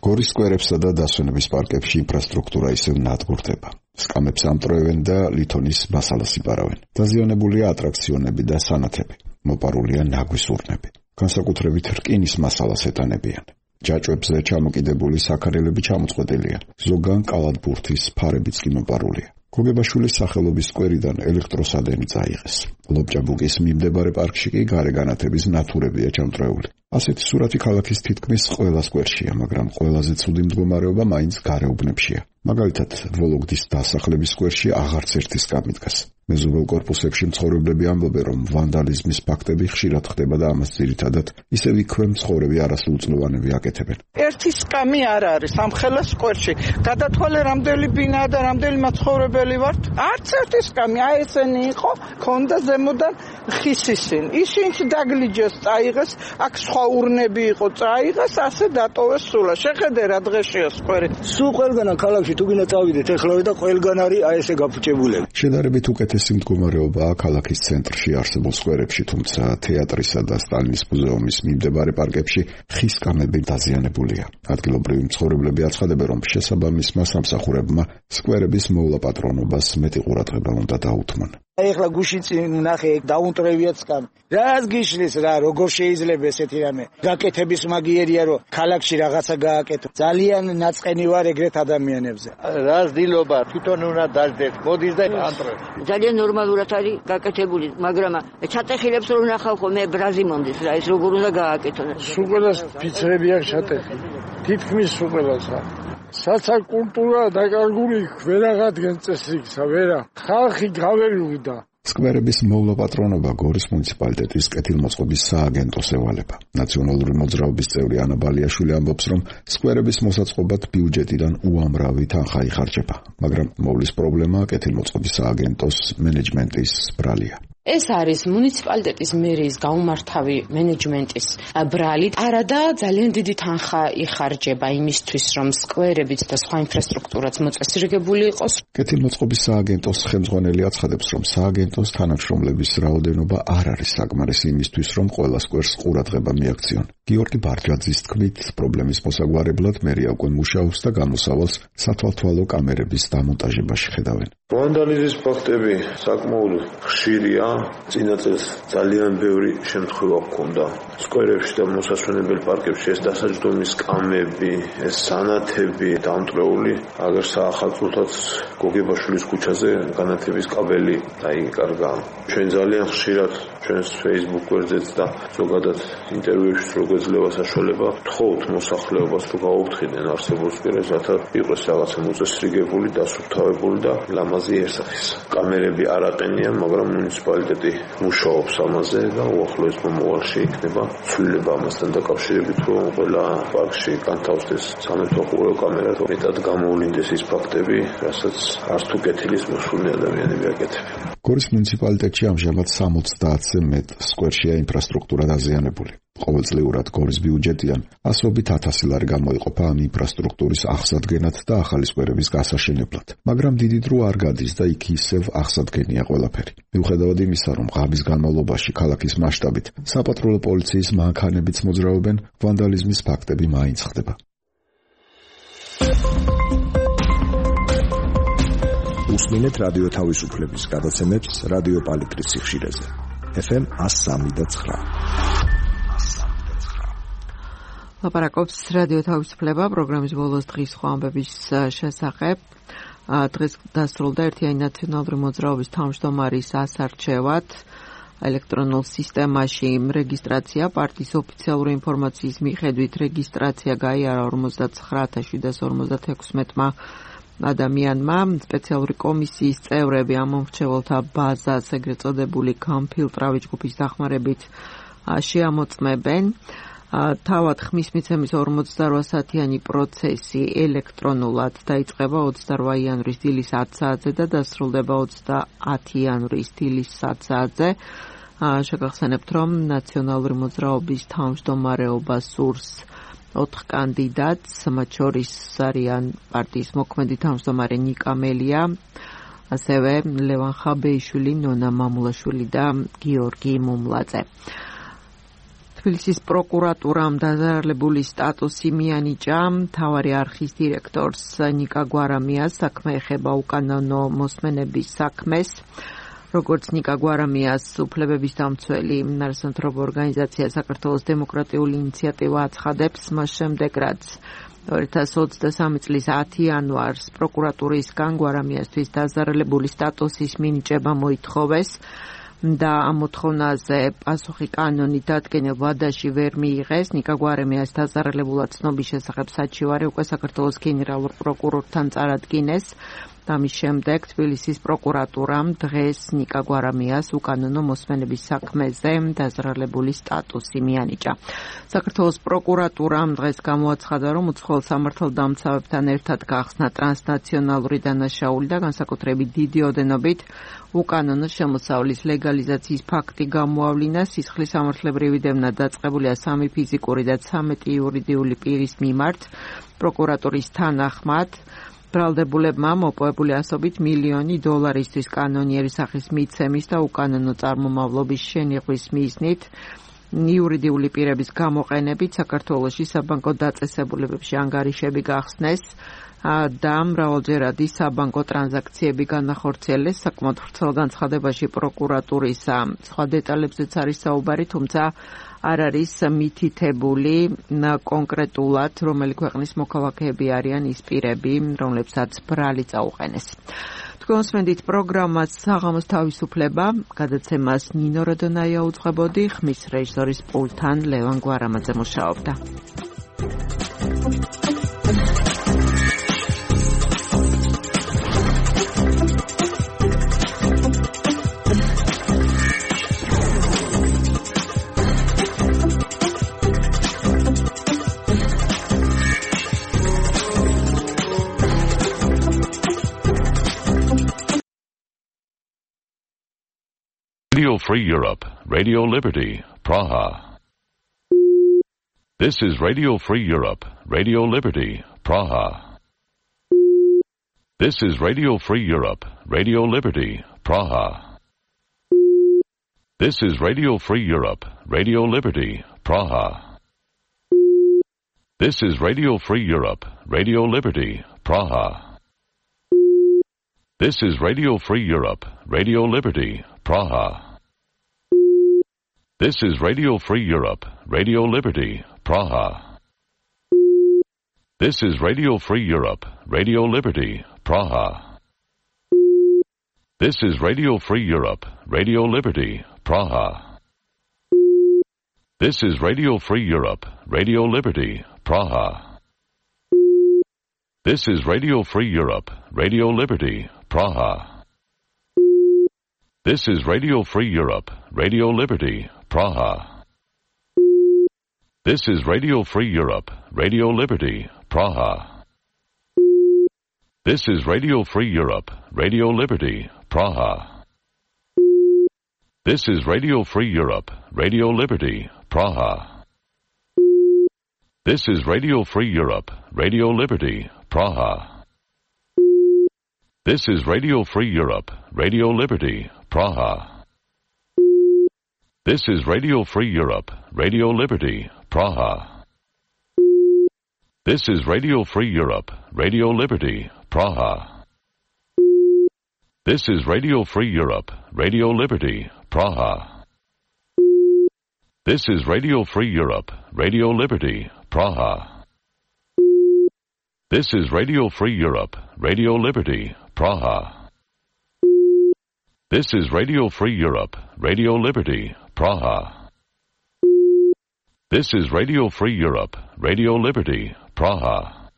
გორის სკვერებსა და დასვენების პარკებში ინფრასტრუქტურა ისევ ნადგურდება. სკამებს ამტრევენ და ლითონის მასალას იპარავენ. დაზიანებულია ატრაქციონები და სანათები. მოპარულია ნაგვის ურნები. განსაკუთრებით რკინის მასალას ეტანებიან. ჯაჭვებზე ჩამოკიდებული საქარელები ჩამოწყვეტილია. ზოგან კალათბურთის ფარებიც კი მოპარულია. გოგებაშვილის სახელობის სკვერიდან ელექტროსადენი წაიღეს. ლობჭაბუკის მიმდებარე პარკში კი გარე განათების ნათურებია ჩამწრეული. ასეთი სურათი ქალაქის თითქმის ყველა სკვერშია, მაგრამ ყველაზე ცუდი მდგომარეობა მაინც გარეუბნებშია. მაგალითად, ვოლოგდის დასახლების სკვერში აღარც ერთი სკამი დგას. მეზობელ კორპუსებში მცხოვრებლები ამბობენ, რომ ვანდალიზმის ფაქტები ხშირად ხდება და ამას ძირითადად ისევ იქვე მცხოვრები არასრულწლოვანები აკეთებენ. ერთი სკამი არ არის ამხელა სკვერში. გადათვალე რამდენი ბინაა და რამდენი მაცხოვრებელი ვართ? არც ერთი სკამი. აი ესენი იყო, ქონდა ზემოდან ხისისინ. ისინიც დაგლიჯეს, წაიღეს, აქ სხვა ურნები იყო, წაიღეს, ასე დატოვეს სულა. შეხედე რა დღეშია სკვერი. სულ ყველგანა ქალაქში თუ გინდა წავიდეთ, ეხლავე და ყველგან არის აი ესე გაფუჭებულები. შედარებით უკეთესი მდგომარეობაა ქალაქის ცენტრში არსებულ სკვერებში, თუმცა თეატრისა და სტალინის მუზეუმის მიმდებარე პარკებში ხის სკამები დაზიანებულია. ადგილობრივი მცხოვრებლები აცხადებენ, რომ შესაბამისმა სამსახურებმა სკვერების მოვლა პატრონობას მეტი ყურადღება უნდა დაუთმონ. ეხლა გუშინ წინ ნახე დაუნტრევიათ სკამი. რას გიშლის რა, როგორ შეიძლება ესეთი რამე? გაკეთების მაგიერია რომ ქალაქში რაღაცა გააკეთო. ძალიან ნაწყენი ვარ ეგრეთ ადამიანებზე. რას დილობა, თვითონ უნდა დაждეთ. მოდის და ანტრე. ძალიან ნორმალურად არის გაკეთებული, მაგრამ ჩატეხილებს რომ ნახავ ხო მე ბრაზიმონდის რა, ეს როგორ უნდა გააკეთონ. სუყელას ფიცრები აქვს ჩატეხილი. თითქმის სუყელასა. საცა კულტურა დაკარგული ვერაღადგენ წესრიგსა, ვერა. ხალხი გავერუდა. სკვერების მოვლა პატრონობა გორის მუნიციპალიტეტის კეთილმოწყობის სააგენტოს ევალება. ნაციონალური მოძრაობის წევრი ანა ბალიაშვილი ამბობს, რომ სკვერების მოსაწყობად ბიუჯეტიდან უამრავი თანხა იხარჯება, მაგრამ მოვლის პრობლემა კეთილმოწყობის სააგენტოს მენეჯმენტის ბრალია. ეს არის მუნიციპალიტეტის მერიის გაუმართავი მენეჯმენტის ბრალი. არადა ძალიან დიდი თანხა იხარჯება იმისთვის, რომ სკვერებიც და სხვა ინფრასტრუქტურაც მოწესრიგებული იყოს. კეთილმოწყობის სააგენტოს ხელმძღვანელი აცხადებს, რომ სააგენტოს თანამშრომლების რაოდენობა არ არის საკმარისი იმისთვის, რომ ყველა სკვერს ყურადღება მიაქციონ. გიორგი ბარჯაძის თქმით, პრობლემის მოსაგვარებლად მერია უკვე მუშაობს და გამოსავალს სათვალთვალო კამერების დამონტაჟებაში ხედავენ. ვანდალიზმის ფაქტები საკმაოდ ხშირია. წინა წელს ძალიან ბევრი შემთხვევა ჰქონდა სკვერებში და მოსასვენებელ პარკებში. ეს დასაჯდომის კამები, ეს სანათები დამტრეული, აგერ საახალწლოთაც გოგებაშვილის ქუჩაზე განათების კაბელი დაიკარგა. ჩვენ ძალიან ხშირად ჩვენს Facebook გვერდზეც და ზოგადად ინტერვიუებში რო გვეძლევა საშუალება, თხოვთ მოსახლეობას რომ გაუფრთხილდნენ არსებულ სკვერებს, რათა იყოს რაღაცა მოწესრიგებული, დასუფთავებული და ლამაზი ერსახის. კამერები არ აყენიან, მაგრამ მუნიციპალიტეტი მუშაობს ამაზე და უახლოეს მომავალში იქნება ცვლილება ამასთან დაკავშირებით, რომ ყველა პარკში განთავსდეს სამეთვალყურეო კამერა, რომ მეტად გამოვლინდეს ის ფაქტები, რასაც არც თუ კეთილის მოსული ადამიანები აკეთებენ. გორის მუნიციპალიტეტში ამჟამად სამოცდაათზე მეტ სკვერშია ინფრასტრუქტურა დაზიანებული. ყოველწლიურად გორის ბიუჯეტიდან ასობით ათასი ლარი გამოიყოფა ამ ინფრასტრუქტურის აღსადგენად და ახალი სკვერების გასაშენებლად. მაგრამ დიდი დრო არ გადის და იქ ისევ აღსადგენია ყველაფერი. მიუხედავად იმისა, რომ ღამის განმავლობაში ქალაქის მასშტაბით საპატრულო პოლიციის მანქანებიც მოძრაობენ, ვანდალიზმის ფაქტები მაინც ხდება. უსმინეთ რადიო თავისუფლების გადაცემებს რადიო პალიტრის სიხშირეზე. ეფ ემ one oh three point nine. ლაპარაკობს რადიო თავისუფლება პროგრამის ბოლოს დღის სხვა ამბების შესახებ. დღეს დასრულდა ერთიანი ნაციონალური მოძრაობის თავმჯდომარის ასარჩევად. ელექტრონულ სისტემაში რეგისტრაცია პარტიის ოფიციალური ინფორმაციის მიხედვით რეგისტრაცია გაიარა ორმოცდათხრე ათას შვიდსათ ორმოცდათექვსმეტმა ადამიანმა. სპეციალური კომისიის წევრები ამ მომრჩეველთა ბაზას ეგრეთ წოდებული გამფილტრავი ჯგუფის დახმარებით შეამოწმებენ. თავად ხმის მიცემის ორმოცდარვა საათიანი პროცესი ელექტრონულად დაიწყება ოცდარვა იანვრის დილის ათ საათზე და დასრულდება ოცდაათი იანვრის დილის სათ საათზე. შეგახსენებთ, რომ ნაციონალური მოძრაობის თავმჯდომარეობა სურს ოთხ კანდიდატს, მათ შორის არიან პარტიის მოქმედი თავმჯდომარე ნიკა მელია, ასევე ლევან ხაბეიშვილი, ნონა მამულაშვილი და გიორგი მუმლაძე. თბილისის პროკურატურამ დაზარალებული სტატუსი მიანიჭა. მთავარი არხის დირექტორს ნიკა გვარამიას საქმე ეხება უკანონო მოსმენების საქმეს. როგორც ნიკა გვარამიას უფლებების დამცველი არასამთავრობო ორგანიზაცია საქართველოს დემოკრატიული ინიციატივა აცხადებს, მას შემდეგ რაც ორი ათას ოცდასამი წლის ათი იანვარს პროკურატურისგან გვარამიასთვის დაზარალებული სტატუსის მინიჭება მოითხოვეს და ამ მოთხოვნაზე პასუხი კანონით დადგენილ ვადაში ვერ მიიღეს. ნიკა გვარამიას დაზარალებულად ცნობის შესახებ საჩივარი უკვე საქართველოს გენერალურ პროკურორთან წარადგინეს. ამის შემდეგ თბილისის პროკურატურამ დღეს ნიკა გვარამიას უკანონო მოსმენების საქმეზე დაზარალებული სტატუსი მიანიჭა. საქართველოს პროკურატურამ დღეს გამოაცხადა, რომ უცხოელ სამართალდამცავებთან ერთად გახსნა ტრანსნაციონალური დანაშაული და განსაკუთრებით დიდი ოდენობით უკანონო შემოსავლის ლეგალიზაციის ფაქტი გამოავლინა. სისხლის სამართლებრივი დევნა დაწყებულია სამი ფიზიკური და ცამეტი იურიდიული პირის მიმართ. პროკურატურის თანახმად ბრალდებულებმა მოპოვებული ასობით მილიონი დოლარისთვის კანონიერი სახის მიცემის და უკანონო წარმომავლობის შენიღვის მიზნით იურიდიული პირების გამოყენებით საქართველოში საბანკო დაწესებულებებში ანგარიშები გახსნეს. და მრავალჯერადი საბანკო ტრანზაქციები განახორციელეს. საკმაოდ ვრცელ განცხადებაში პროკურატურის სხვა დეტალებზეც არის საუბარი, თუმცა არ არის მითითებული კონკრეტულად, რომელი ქვეყნის მოქალაქეები არიან ის პირები, რომლებსაც ბრალი წაუყენეს. თქვენ სმენდით პროგრამას საღამოს თავისუფლება, გადაცემას ნინო როდონაია უძღვებოდი, ხმის რეჟისორის პულტთან ლევან გვარამაძე მუშაობდა. Radio Free Europe, Radio Liberty, Praha. This is Radio Free Europe, Radio Liberty, Praha. This is Radio Free Europe, Radio Liberty, Praha. This is Radio Free Europe, Radio Liberty, Praha. This is Radio Free Europe, Radio Liberty, Praha. This is Radio Free Europe, Radio Liberty, Praha. This is Radio Free Europe, Radio Liberty, Praha. This is Radio Free Europe, Radio Liberty, Praha. This is Radio Free Europe, Radio Liberty, Praha. This is Radio Free Europe, Radio Liberty, Praha. This is Radio Free Europe, Radio Liberty, Praha. This is Radio Free Europe, Radio Liberty, Praha. This is Radio Free Europe, Radio Liberty, Praha. This is Radio Free Europe, Radio Liberty, Praha. This is Radio Free Europe, Radio Liberty, Praha. This is Radio Free Europe, Radio Liberty, Praha. This is Radio Free Europe, Radio Liberty, Praha. This is Radio Free Europe, Radio Liberty, Praha. This is Radio Free Europe, Radio Liberty, Praha. This is Radio Free Europe, Radio Liberty, Praha. This is Radio Free Europe, Radio Liberty, Praha. This is Radio Free Europe, Radio Liberty, Praha. This is Radio Free Europe, Radio Liberty, Praha. This is Radio Free Europe, Radio Liberty, Praha.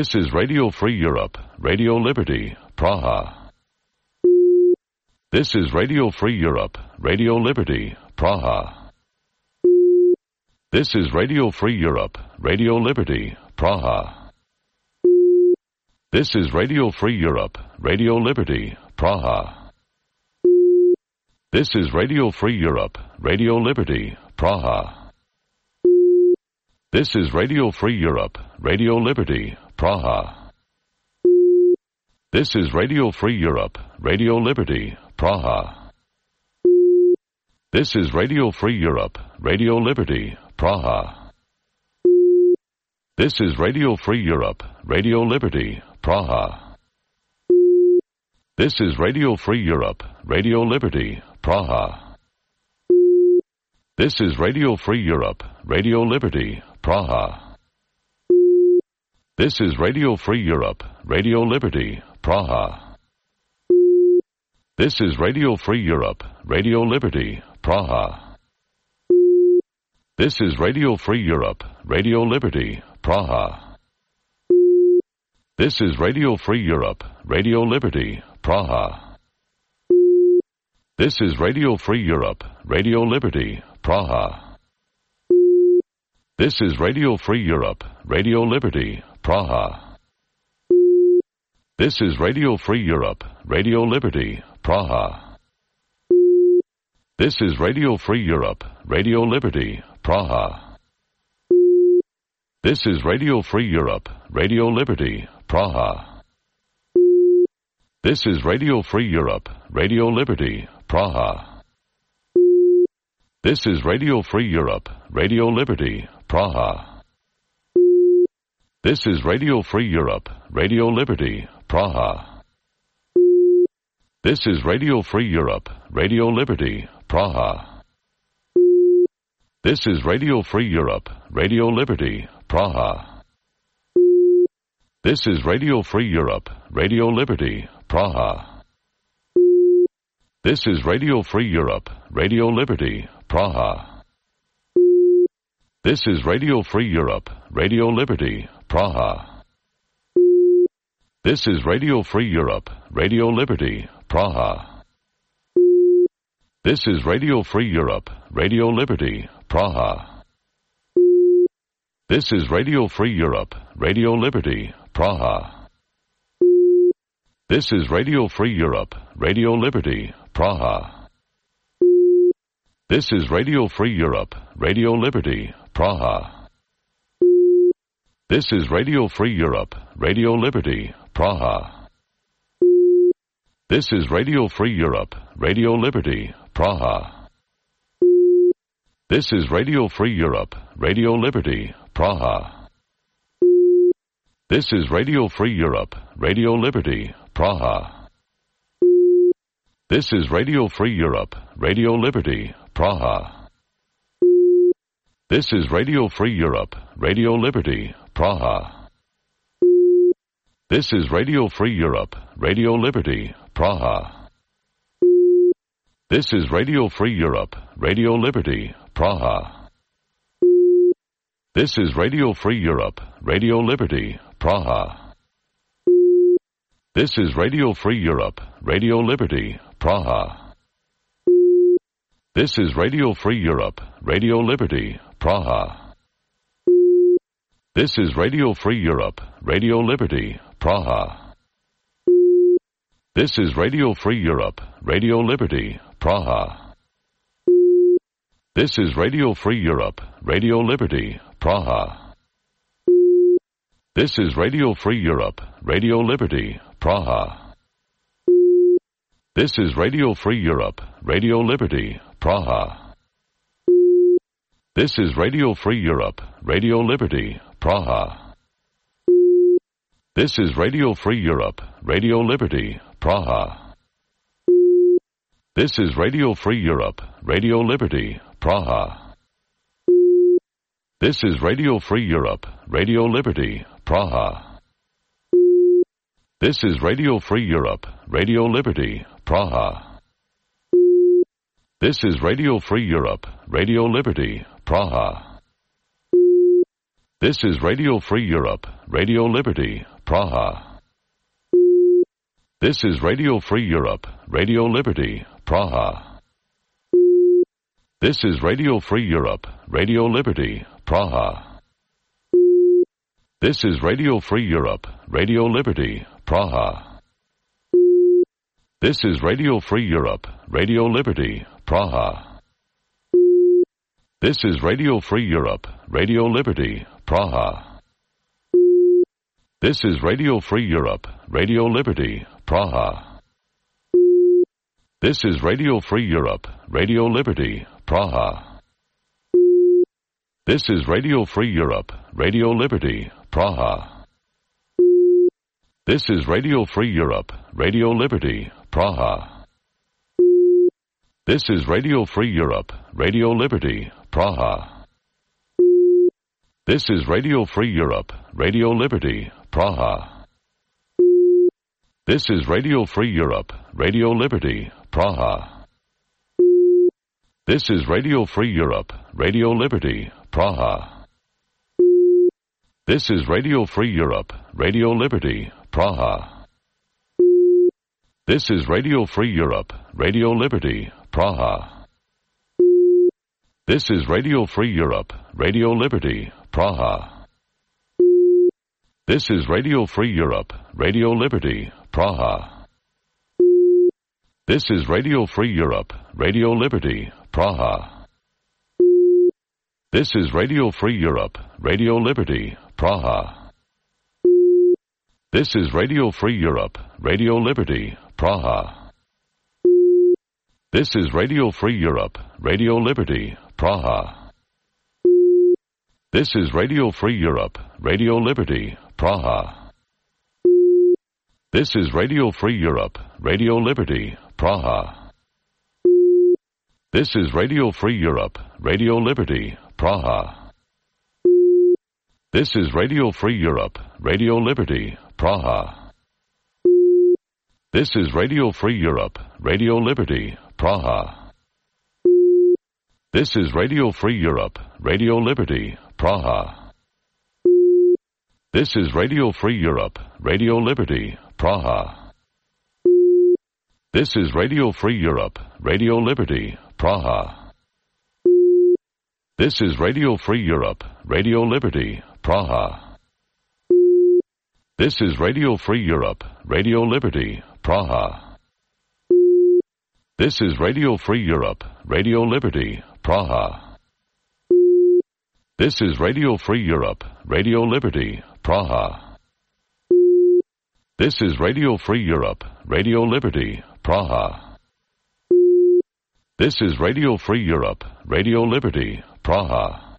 This is Radio Free Europe, Radio Liberty, Praha. This is Radio Free Europe, Radio Liberty, Praha. This is Radio Free Europe, Radio Liberty, Praha. This is Radio Free Europe, Radio Liberty, Praha. This is Radio Free Europe, Radio Liberty, Praha. This is Radio Free Europe, Radio Liberty, Praha. This is Radio Free Europe, Radio Liberty, Praha. This is Radio Free Europe, Radio Liberty, Praha. This is Radio Free Europe, Radio Liberty, Praha. This is Radio Free Europe, Radio Liberty, Praha. This is Radio Free Europe, Radio Liberty, Praha. This is Radio Free Europe, Radio Liberty, Praha. This is Radio Free Europe, Radio Liberty, Praha. This is Radio Free Europe, Radio Liberty, Praha. This is Radio Free Europe, Radio Liberty, Praha. This is Radio Free Europe, Radio Liberty, Praha. This is Radio Free Europe, Radio Liberty, Praha. This is Radio Free Europe, Radio Liberty, Praha. This is Radio Free Europe, Radio Liberty, Praha. This is Radio Free Europe, Radio Liberty, Praha. This is Radio Free Europe, Radio Liberty, Praha. This is Radio Free Europe, Radio Liberty, Praha. This is Radio Free Europe, Radio Liberty, Praha. This is Radio Free Europe, Radio Liberty, Praha. This is Radio Free Europe, Radio Liberty, Praha. This is Radio Free Europe, Radio Liberty, Praha. This is Radio Free Europe, Radio Liberty, Praha. This is Radio Free Europe, Radio Liberty, Praha. This is Radio Free Europe, Radio Liberty, Praha. This is Radio Free Europe, Radio Liberty, Praha. This is Radio Free Europe, Radio Liberty, Praha. This is Radio Free Europe, Radio Liberty, Praha. This is Radio Free Europe, Radio Liberty, Praha. This is Radio Free Europe, Radio Liberty, Praha. This is Radio Free Europe, Radio Liberty, Praha. This is Radio Free Europe, Radio Liberty, Praha. This is Radio Free Europe, Radio Liberty, Praha. This is Radio Free Europe, Radio Liberty, Praha. This is Radio Free Europe, Radio Liberty, Praha. This is Radio Free Europe, Radio Liberty, Praha. This is Radio Free Europe, Radio Liberty, Praha. This is Radio Free Europe, Radio Liberty, Praha. This is Radio Free Europe, Radio Liberty, Praha. This is Radio Free Europe, Radio Liberty, Praha. This is Radio Free Europe, Radio Liberty, Praha. This is Radio Free Europe, Radio Liberty, Praha. This is Radio Free Europe, Radio Liberty, Praha. This is Radio Free Europe, Radio Liberty, Praha. This is Radio Free Europe, Radio Liberty, Praha. This is Radio Free Europe, Radio Liberty, Praha. This is Radio Free Europe, Radio Liberty, Praha. This is Radio Free Europe, Radio Liberty, Praha. This is Radio Free Europe, Radio Liberty, Praha. This is Radio Free Europe, Radio Liberty, Praha. This is Radio Free Europe, Radio Liberty, Praha. This is Radio Free Europe, Radio Liberty, Praha. This is Radio Free Europe, Radio Liberty, Praha. This is Radio Free Europe, Radio Liberty, Praha. This is Radio Free Europe, Radio Liberty, Praha. This is Radio Free Europe, Radio Liberty, Praha. This is Radio Free Europe, Radio Liberty, Praha. This is Radio Free Europe, Radio Liberty, Praha. This is Radio Free Europe, Radio Liberty, Praha. This is Radio Free Europe, Radio Liberty, Praha. This is Radio Free Europe, Radio Liberty, Praha. This is Radio Free Europe, Radio Liberty, Praha. This is Radio Free Europe, Radio Liberty, Praha. This is Radio Free Europe, Radio Liberty, Praha. This is Radio Free Europe, Radio Liberty, Praha. This is Radio Free Europe, Radio Liberty, Praha. This is Radio Free Europe, Radio Liberty, Praha. This is Radio Free Europe, Radio Liberty, Praha. This is Radio Free Europe, Radio Liberty, Praha. This is Radio Free Europe, Radio Liberty, Praha. This is Radio Free Europe, Radio Liberty, Praha. This is Radio Free Europe, Radio Liberty, Praha. This is Radio Free Europe, Radio Liberty, Praha. This is Radio Free Europe, Radio Liberty, Praha. This is Radio Free Europe, Radio Liberty, Praha. This is Radio Free Europe, Radio Liberty, Praha. This is Radio Free Europe, Radio Liberty, Praha. This is Radio Free Europe, Radio Liberty, Praha. This is Radio Free Europe, Radio Liberty, Praha. This is Radio Free Europe, Radio Liberty, Praha. This is Radio Free Europe, Radio Liberty, Praha. This is Radio Free Europe, Radio Liberty, Praha. This is Radio Free Europe, Radio Liberty, Praha. This is Radio Free Europe, Radio Liberty, Praha. This is Radio Free Europe, Radio Liberty, Praha. This is Radio Free Europe, Radio Liberty, Praha. This is Radio Free Europe, Radio Liberty, Praha.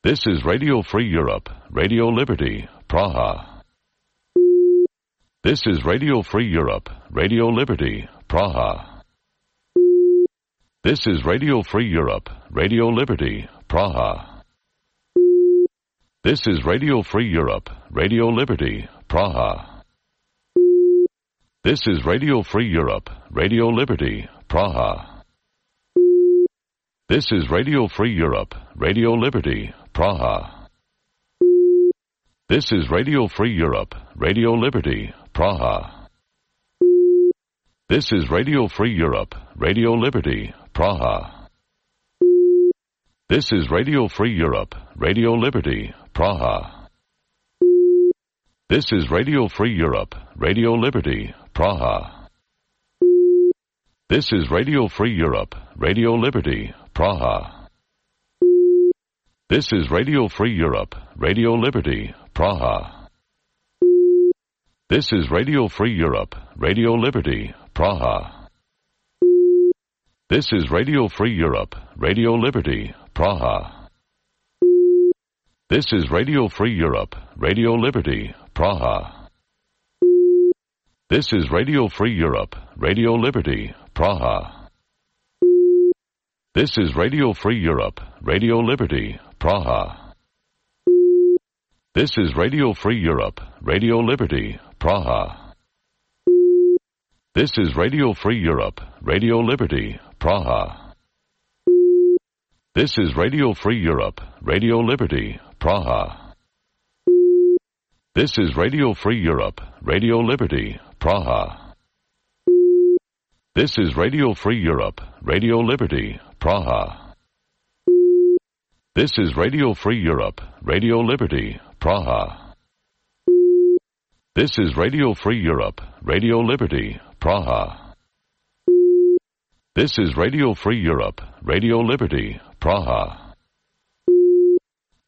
This is Radio Free Europe, Radio Liberty, Praha. This is Radio Free Europe, Radio Liberty, Praha. This is Radio Free Europe, Radio Liberty, Praha. This is Radio Free Europe, Radio Liberty, Praha. This is Radio Free Europe, Radio Liberty, Praha. This is Radio Free Europe, Radio Liberty, Praha. This is Radio Free Europe, Radio Liberty, Praha. This is Radio Free Europe, Radio Liberty, Praha. This is Radio Free Europe, Radio Liberty, Praha. This is Radio Free Europe, Radio Liberty, Praha. This is Radio Free Europe, Radio Liberty, Praha. This is Radio Free Europe, Radio Liberty, Praha. This is Radio Free Europe, Radio Liberty, Praha. This is Radio Free Europe, Radio Liberty, Praha. This is Radio Free Europe, Radio Liberty, Praha. This is Radio Free Europe, Radio Liberty, Praha. This is Radio Free Europe, Radio Liberty, Praha. This is Radio Free Europe, Radio Liberty, Praha. This is Radio Free Europe, Radio Liberty, Praha. This is Radio Free Europe, Radio Liberty, Praha. This is Radio Free Europe, Radio Liberty, Praha. This is Radio Free Europe, Radio Liberty, Praha. This is Radio Free Europe, Radio Liberty, Praha. This is Radio Free Europe, Radio Liberty, Praha. This is Radio Free Europe, Radio Liberty, Praha. This is Radio Free Europe, Radio Liberty, Praha.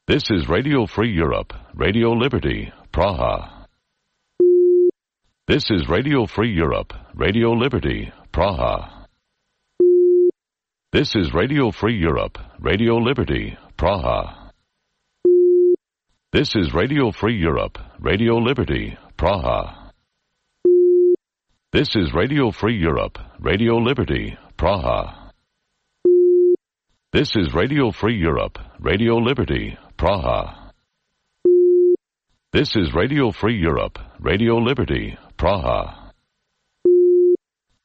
This is Radio Free Europe, Radio Liberty, Praha. This is Radio Free Europe, Radio Liberty, Praha. This is Radio Free Europe, Radio Liberty, Praha. This is Radio Free Europe, Radio Liberty, Praha. This is Radio Free Europe, Radio Liberty, Praha. This is Radio Free Europe, Radio Liberty, Praha.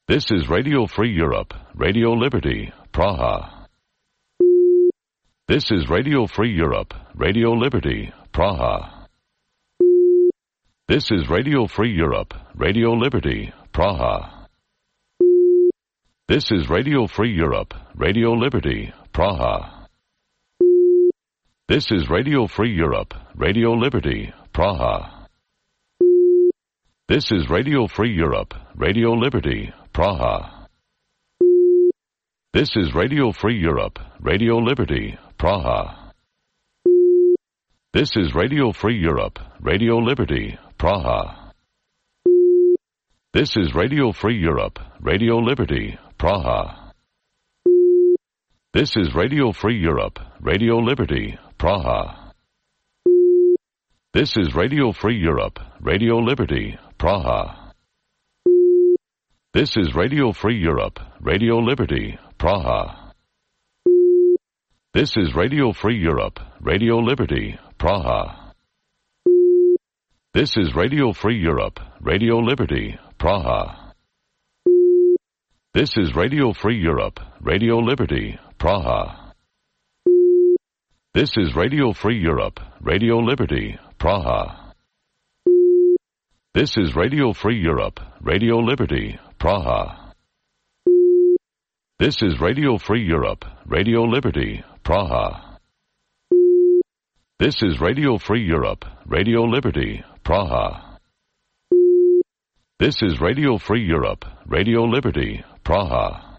This is Radio Free Europe, Radio Liberty, Praha. This is Radio Free Europe, Radio Liberty, Praha. This is Radio Free Europe, Radio Liberty, Praha. This is Radio Free Europe, Radio Liberty, Praha. This is Radio Free Europe, Radio Liberty, Praha. This is Radio Free Europe, Radio Liberty, Praha. This is Radio Free Europe, Radio Liberty, Praha. This is Radio Free Europe, Radio Liberty, Praha. This is Radio Free Europe, Radio Liberty, Praha. This is Radio Free Europe, Radio Liberty, Praha. This is Radio Free Europe, Radio Liberty, Praha. This is Radio Free Europe, Radio Liberty, Praha. This is Radio Free Europe, Radio Liberty, Praha. This is Radio Free Europe, Radio Liberty, Praha. This is Radio Free Europe, Radio Liberty, Praha. This is Radio Free Europe, Radio Liberty, Praha. This is Radio Free Europe, Radio Liberty, Praha. This is Radio Free Europe, Radio Liberty, Praha. This is Radio Free Europe, Radio Liberty, Praha. This is Radio Free Europe, Radio Liberty, Praha.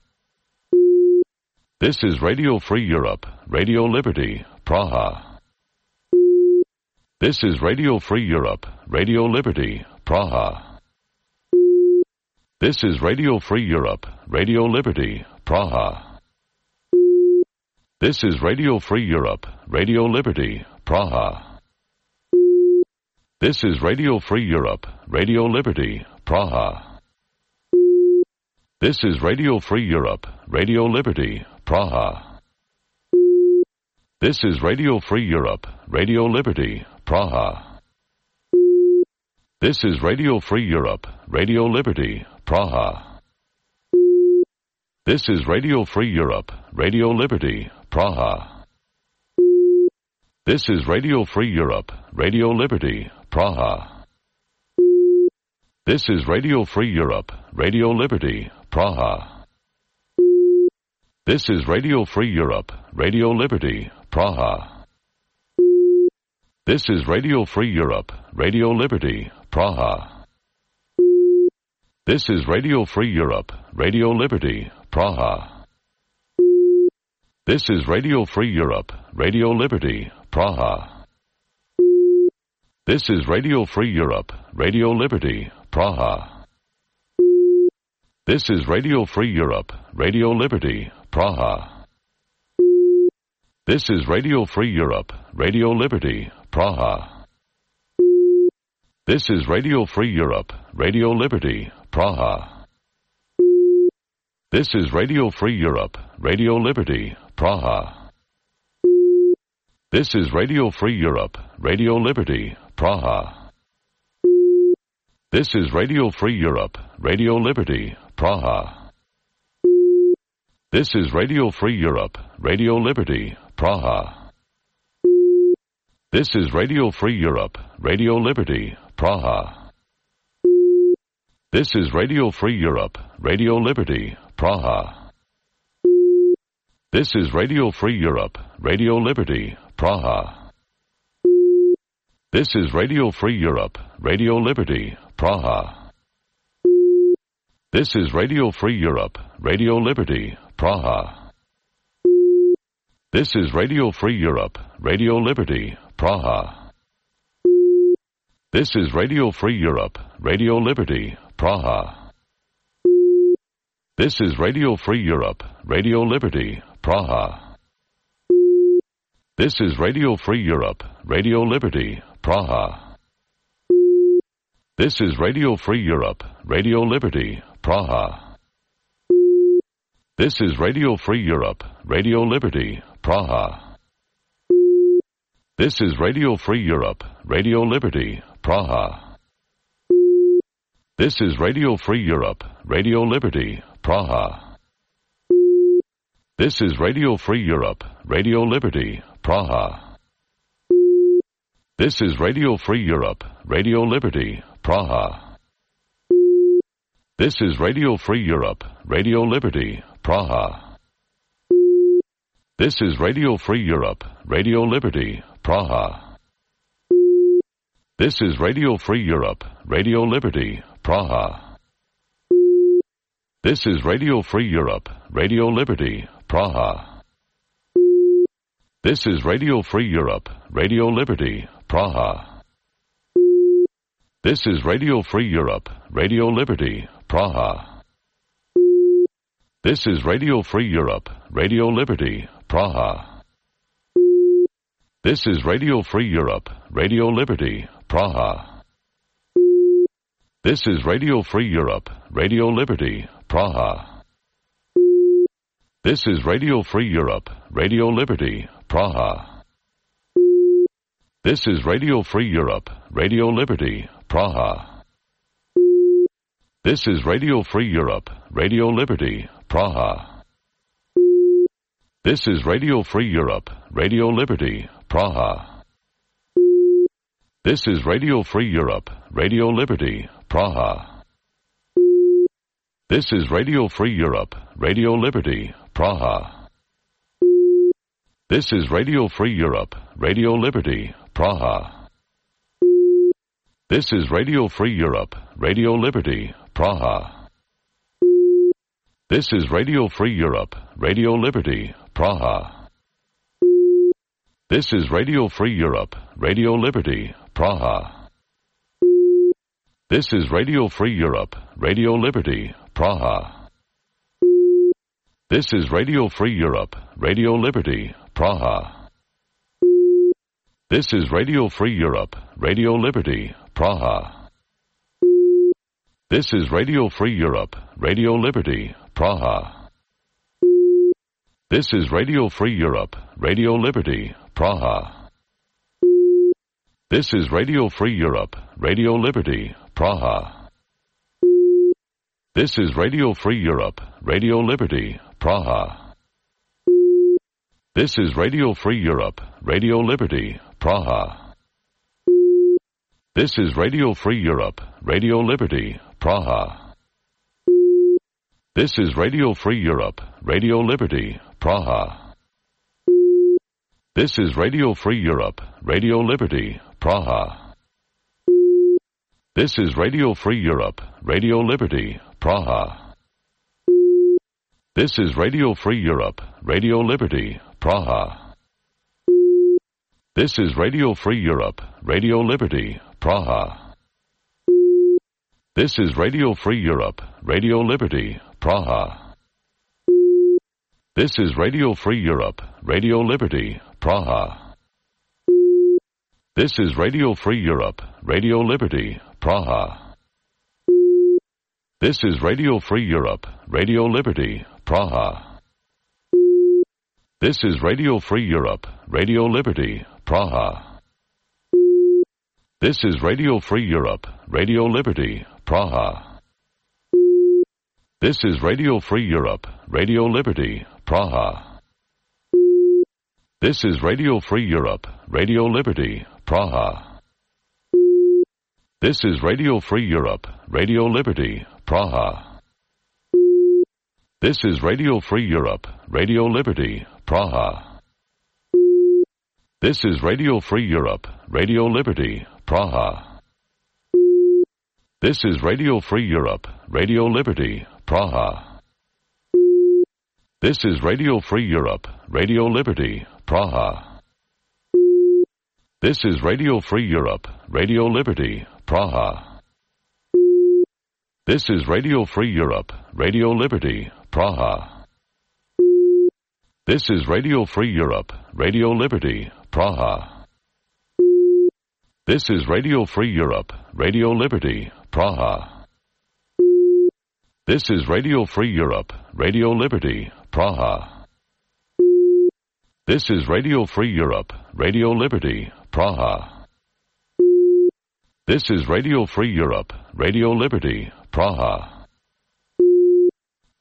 This is Radio Free Europe, Radio Liberty, Praha. This is Radio Free Europe, Radio Liberty, Praha. This is Radio Free Europe, Radio Liberty, Praha. This is Radio Free Europe, Radio Liberty, Praha. This is Radio Free Europe, Radio Liberty, Praha. This is Radio Free Europe, Radio Liberty, Praha. This is Radio Free Europe, Radio Liberty, Praha. This is Radio Free Europe, Radio Liberty, Praha. This is Radio Free Europe, Radio Liberty, Praha. This is Radio Free Europe, Radio Liberty, Praha. This is Radio Free Europe, Radio Liberty, Praha. This is Radio Free Europe, Radio Liberty, Praha. This is Radio Free Europe, Radio Liberty, Praha. This is Radio Free Europe, Radio Liberty, Praha. This is Radio Free Europe, Radio Liberty, Praha. This is Radio Free Europe, Radio Liberty, Praha. This is Radio Free Europe, Radio Liberty, Praha. This is Radio Free Europe, Radio Liberty, Praha. This is Radio Free Europe, Radio Liberty, Praha. This is Radio Free Europe, Radio Liberty, Praha. This is Radio Free Europe, Radio Liberty, Praha. This is Radio Free Europe, Radio Liberty, Praha. This is Radio Free Europe, Radio Liberty, Praha. This is Radio Free Europe, Radio Liberty, Praha. This is Radio Free Europe, Radio Liberty, Praha. This is Radio Free Europe, Radio Liberty, Praha. This is Radio Free Europe, Radio Liberty, Praha. This is Radio Free Europe, Radio Liberty, Praha. This is Radio Free Europe, Radio Liberty, Praha. This is Radio Free Europe, Radio Liberty, Praha. This is Radio Free Europe, Radio Liberty, Praha. This is Radio Free Europe, Radio Liberty, Praha. This is Radio Free Europe, Radio Liberty, Praha. This is Radio Free Europe, Radio Liberty, Praha. This is Radio Free Europe, Radio Liberty, Praha. This is Radio Free Europe, Radio Liberty, Praha. This is Radio Free Europe, Radio Liberty, Praha. This is Radio Free Europe, Radio Liberty, Praha. This is Radio Free Europe, Radio Liberty, Praha. This is Radio Free Europe, Radio Liberty, Praha. This is Radio Free Europe, Radio Liberty, Praha. This is Radio Free Europe, Radio Liberty, Praha. This is Radio Free Europe, Radio Liberty, Praha. This is Radio Free Europe, Radio Liberty, Praha. This is Radio Free Europe, Radio Liberty, Praha. This is Radio Free Europe, Radio Liberty, Praha. This is Radio Free Europe, Radio Liberty, Praha. This is Radio Free Europe, Radio Liberty, Praha. This is Radio Free Europe, Radio Liberty, Praha. This is Radio Free Europe, Radio Liberty, Praha. This is Radio Free Europe, Radio Liberty, Praha. This is Radio Free Europe, Radio Liberty, Praha. This is Radio Free Europe, Radio Liberty, Praha. This is Radio Free Europe, Radio Liberty, Praha. This is Radio Free Europe, Radio Liberty, Praha. This is Radio Free Europe, Radio Liberty, Praha. This is Radio Free Europe, Radio Liberty, Praha. This is Radio Free Europe, Radio Liberty, Praha. This is Radio Free Europe, Radio Liberty, Praha. This is Radio Free Europe, Radio Liberty, Praha. This is Radio Free Europe, Radio Liberty, Praha. This is Radio Free Europe, Radio Liberty, Praha. This is Radio Free Europe, Radio Liberty, Praha. This is Radio Free Europe, Radio Liberty, Praha. This is Radio Free Europe, Radio Liberty, Praha. This is Radio Free Europe, Radio Liberty, Praha. This is Radio Free Europe, Radio Liberty, Praha. This is Radio Free Europe, Radio Liberty, Praha. This is Radio Free Europe, Radio Liberty, Praha. This is Radio Free Europe, Radio Liberty, Praha. This is Radio Free Europe, Radio Liberty, Praha. This is Radio Free Europe, Radio Liberty, Praha. This is Radio Free Europe, Radio Liberty, Praha. This is Radio Free Europe, Radio Liberty, Praha. This is Radio Free Europe, Radio Liberty, Praha. This is Radio Free Europe, Radio Liberty, Praha. This is Radio Free Europe, Radio Liberty, Praha. This is Radio Free Europe, Radio Liberty, Praha. This is Radio Free Europe, Radio Liberty, Praha. This is Radio Free Europe, Radio Liberty, Praha. This is Radio Free Europe, Radio Liberty, Praha. This is Radio Free Europe, Radio Liberty, Praha. This is Radio Free Europe, Radio Liberty, Praha. This is Radio Free Europe, Radio Liberty, Praha. This is Radio Free Europe, Radio Liberty, Praha. This is Radio Free Europe, Radio Liberty, Praha. This is Radio Free Europe, Radio Liberty, Praha. This is Radio Free Europe, Radio Liberty, Praha. This is Radio Free Europe, Radio Liberty, Praha. This is Radio Free Europe, Radio Liberty, Praha. This is Radio Free Europe, Radio Liberty, Praha.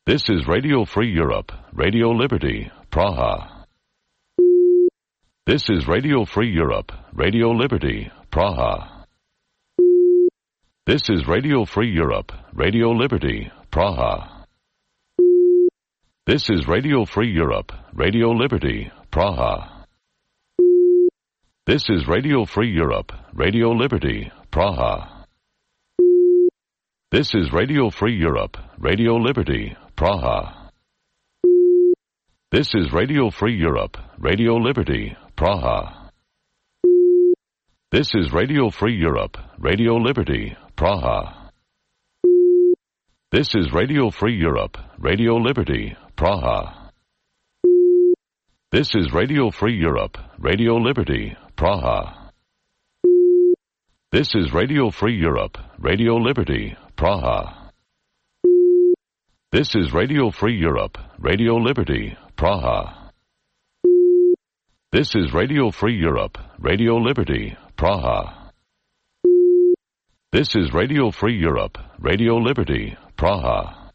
This is Radio Free Europe, Radio Liberty, Praha. This is Radio Free Europe, Radio Liberty, Praha. This is Radio Free Europe, Radio Liberty, Praha. This is Radio Free Europe, Radio Liberty, Praha. This is Radio Free Europe, Radio Liberty, Praha. This is Radio Free Europe, Radio Liberty, Praha. This is Radio Free Europe, Radio Liberty, Praha. This is Radio Free Europe, Radio Liberty, Praha. This is Radio Free Europe, Radio Liberty, Praha. This is Radio Free Europe, Radio Liberty, Praha. This is Radio Free Europe, Radio Liberty, Praha. This is Radio Free Europe, Radio Liberty, Praha. This is Radio Free Europe, Radio Liberty, Praha. This is Radio Free Europe, Radio Liberty, Praha.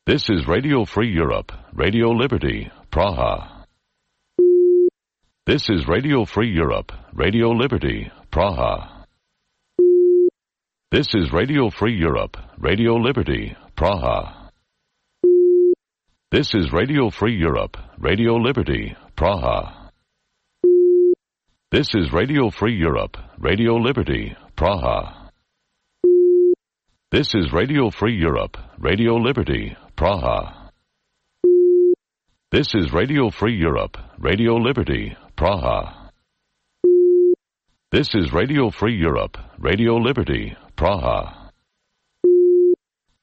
This is Radio Free Europe, Radio Liberty, Praha. This is Radio Free Europe, Radio Liberty, Praha. This is Radio Free Europe, Radio Liberty, Praha. This is Radio Free Europe, Radio Liberty, Praha. This is Radio Free Europe, Radio Liberty, Praha. This is Radio Free Europe, Radio Liberty, Praha. This is Radio Free Europe, Radio Liberty, Praha. This is Radio Free Europe, Radio Liberty, Praha.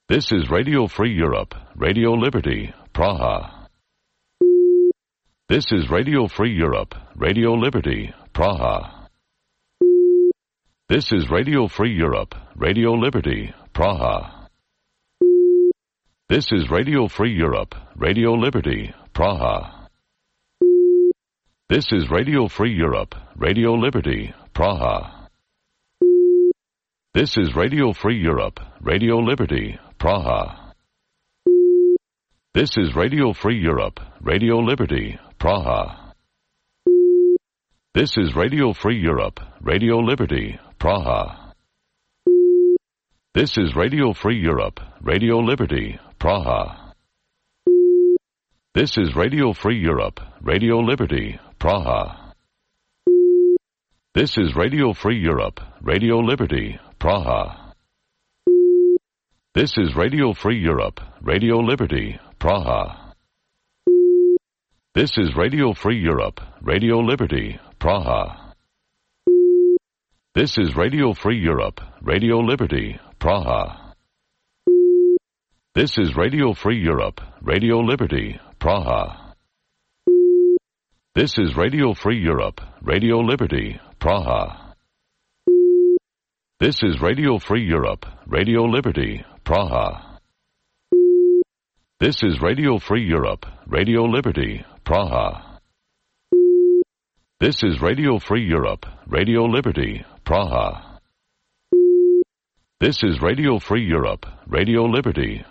This is Radio Free Europe, Radio Liberty, Praha. This is Radio Free Europe, Radio Liberty, Praha. This is Radio Free Europe, Radio Liberty, Praha. This is Radio Free Europe, Radio Liberty, Praha. This is Radio Free Europe, Radio Liberty, Praha. This is Radio Free Europe, Radio Liberty, Praha. This is Radio Free Europe, Radio Liberty, Praha. This is Radio Free Europe, Radio Liberty, Praha. This is Radio Free Europe, Radio Liberty, Praha. This is Radio Free Europe, Radio Liberty, Praha. This is Radio Free Europe, Radio Liberty, Praha. This is Radio Free Europe, Radio Liberty, Praha. This is Radio Free Europe, Radio Liberty, Praha. This is Radio Free Europe, Radio Liberty, Praha. This is Radio Free Europe, Radio Liberty, Praha. This is Radio Free Europe, Radio Liberty, Praha. This is Radio Free Europe, Radio Liberty, Praha. This is Radio Free Europe, Radio Liberty, Praha. This is Radio Free Europe, Radio Liberty, Praha. This is Radio Free Europe, Radio Liberty,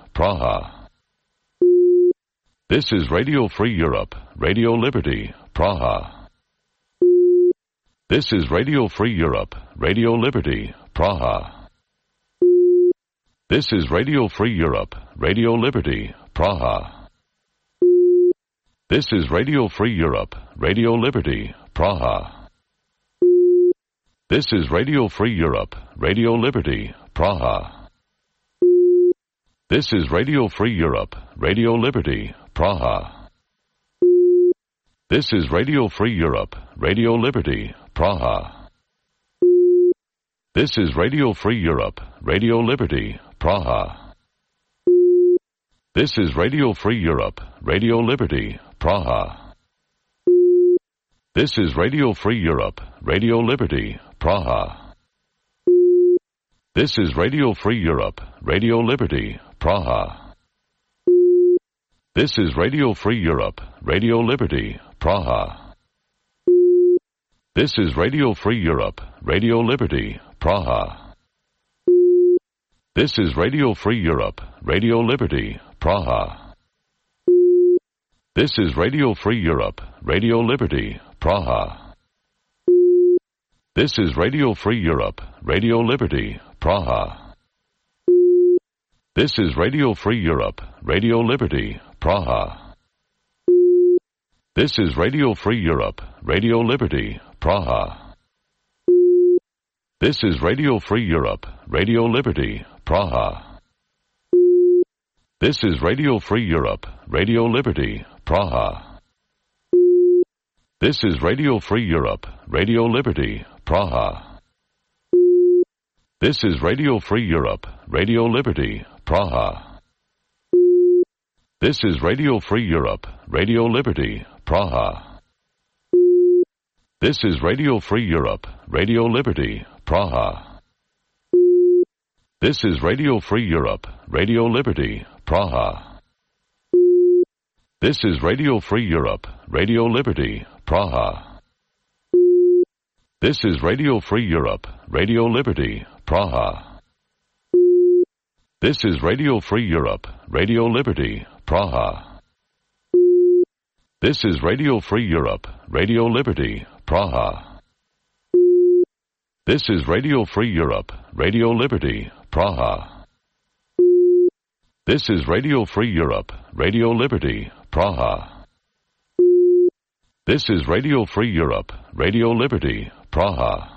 Praha. This is Radio Free Europe, Radio Liberty, Praha. This is Radio Free Europe, Radio Liberty, Praha. This is Radio Free Europe, Radio Liberty, Praha. This is Radio Free Europe, Radio Liberty, Praha. This is Radio Free Europe, Radio Liberty, Praha. This is Radio Free Europe, Radio Liberty, Praha. This is Radio Free Europe, Radio Liberty, Praha. This is Radio Free Europe, Radio Liberty, Praha. This is Radio Free Europe, Radio Liberty, Praha. This is Radio Free Europe, Radio Liberty, Praha. This is Radio Free Europe, Radio Liberty, Praha. This is Radio Free Europe, Radio Liberty, Praha. This is Radio Free Europe, Radio Liberty, Praha. This is Radio Free Europe, Radio Liberty, Praha. This is Radio Free Europe, Radio Liberty, Praha. This is Radio Free Europe, Radio Liberty, Praha. This is Radio Free Europe, Radio Liberty, Praha. This is Radio Free Europe, Radio Liberty, Praha. This is Radio Free Europe, Radio Liberty, Praha. This is Radio Free Europe, Radio Liberty, Praha. This is Radio Free Europe, Radio Liberty, Praha. This is Radio Free Europe, Radio Liberty, Praha. This is Radio Free Europe, Radio Liberty, Praha. This is Radio Free Europe, Radio Liberty, Praha. This is Radio Free Europe, Radio Liberty, Praha. This is Radio Free Europe, Radio Liberty, Praha. This is Radio Free Europe, Radio Liberty, Praha. This is Radio Free Europe, Radio Liberty, Praha. This is Radio Free Europe, Radio Liberty, Praha. This is Radio Free Europe, Radio Liberty, Praha. This is Radio Free Europe, Radio Liberty, Praha. This is Radio Free Europe, Radio Liberty, Praha.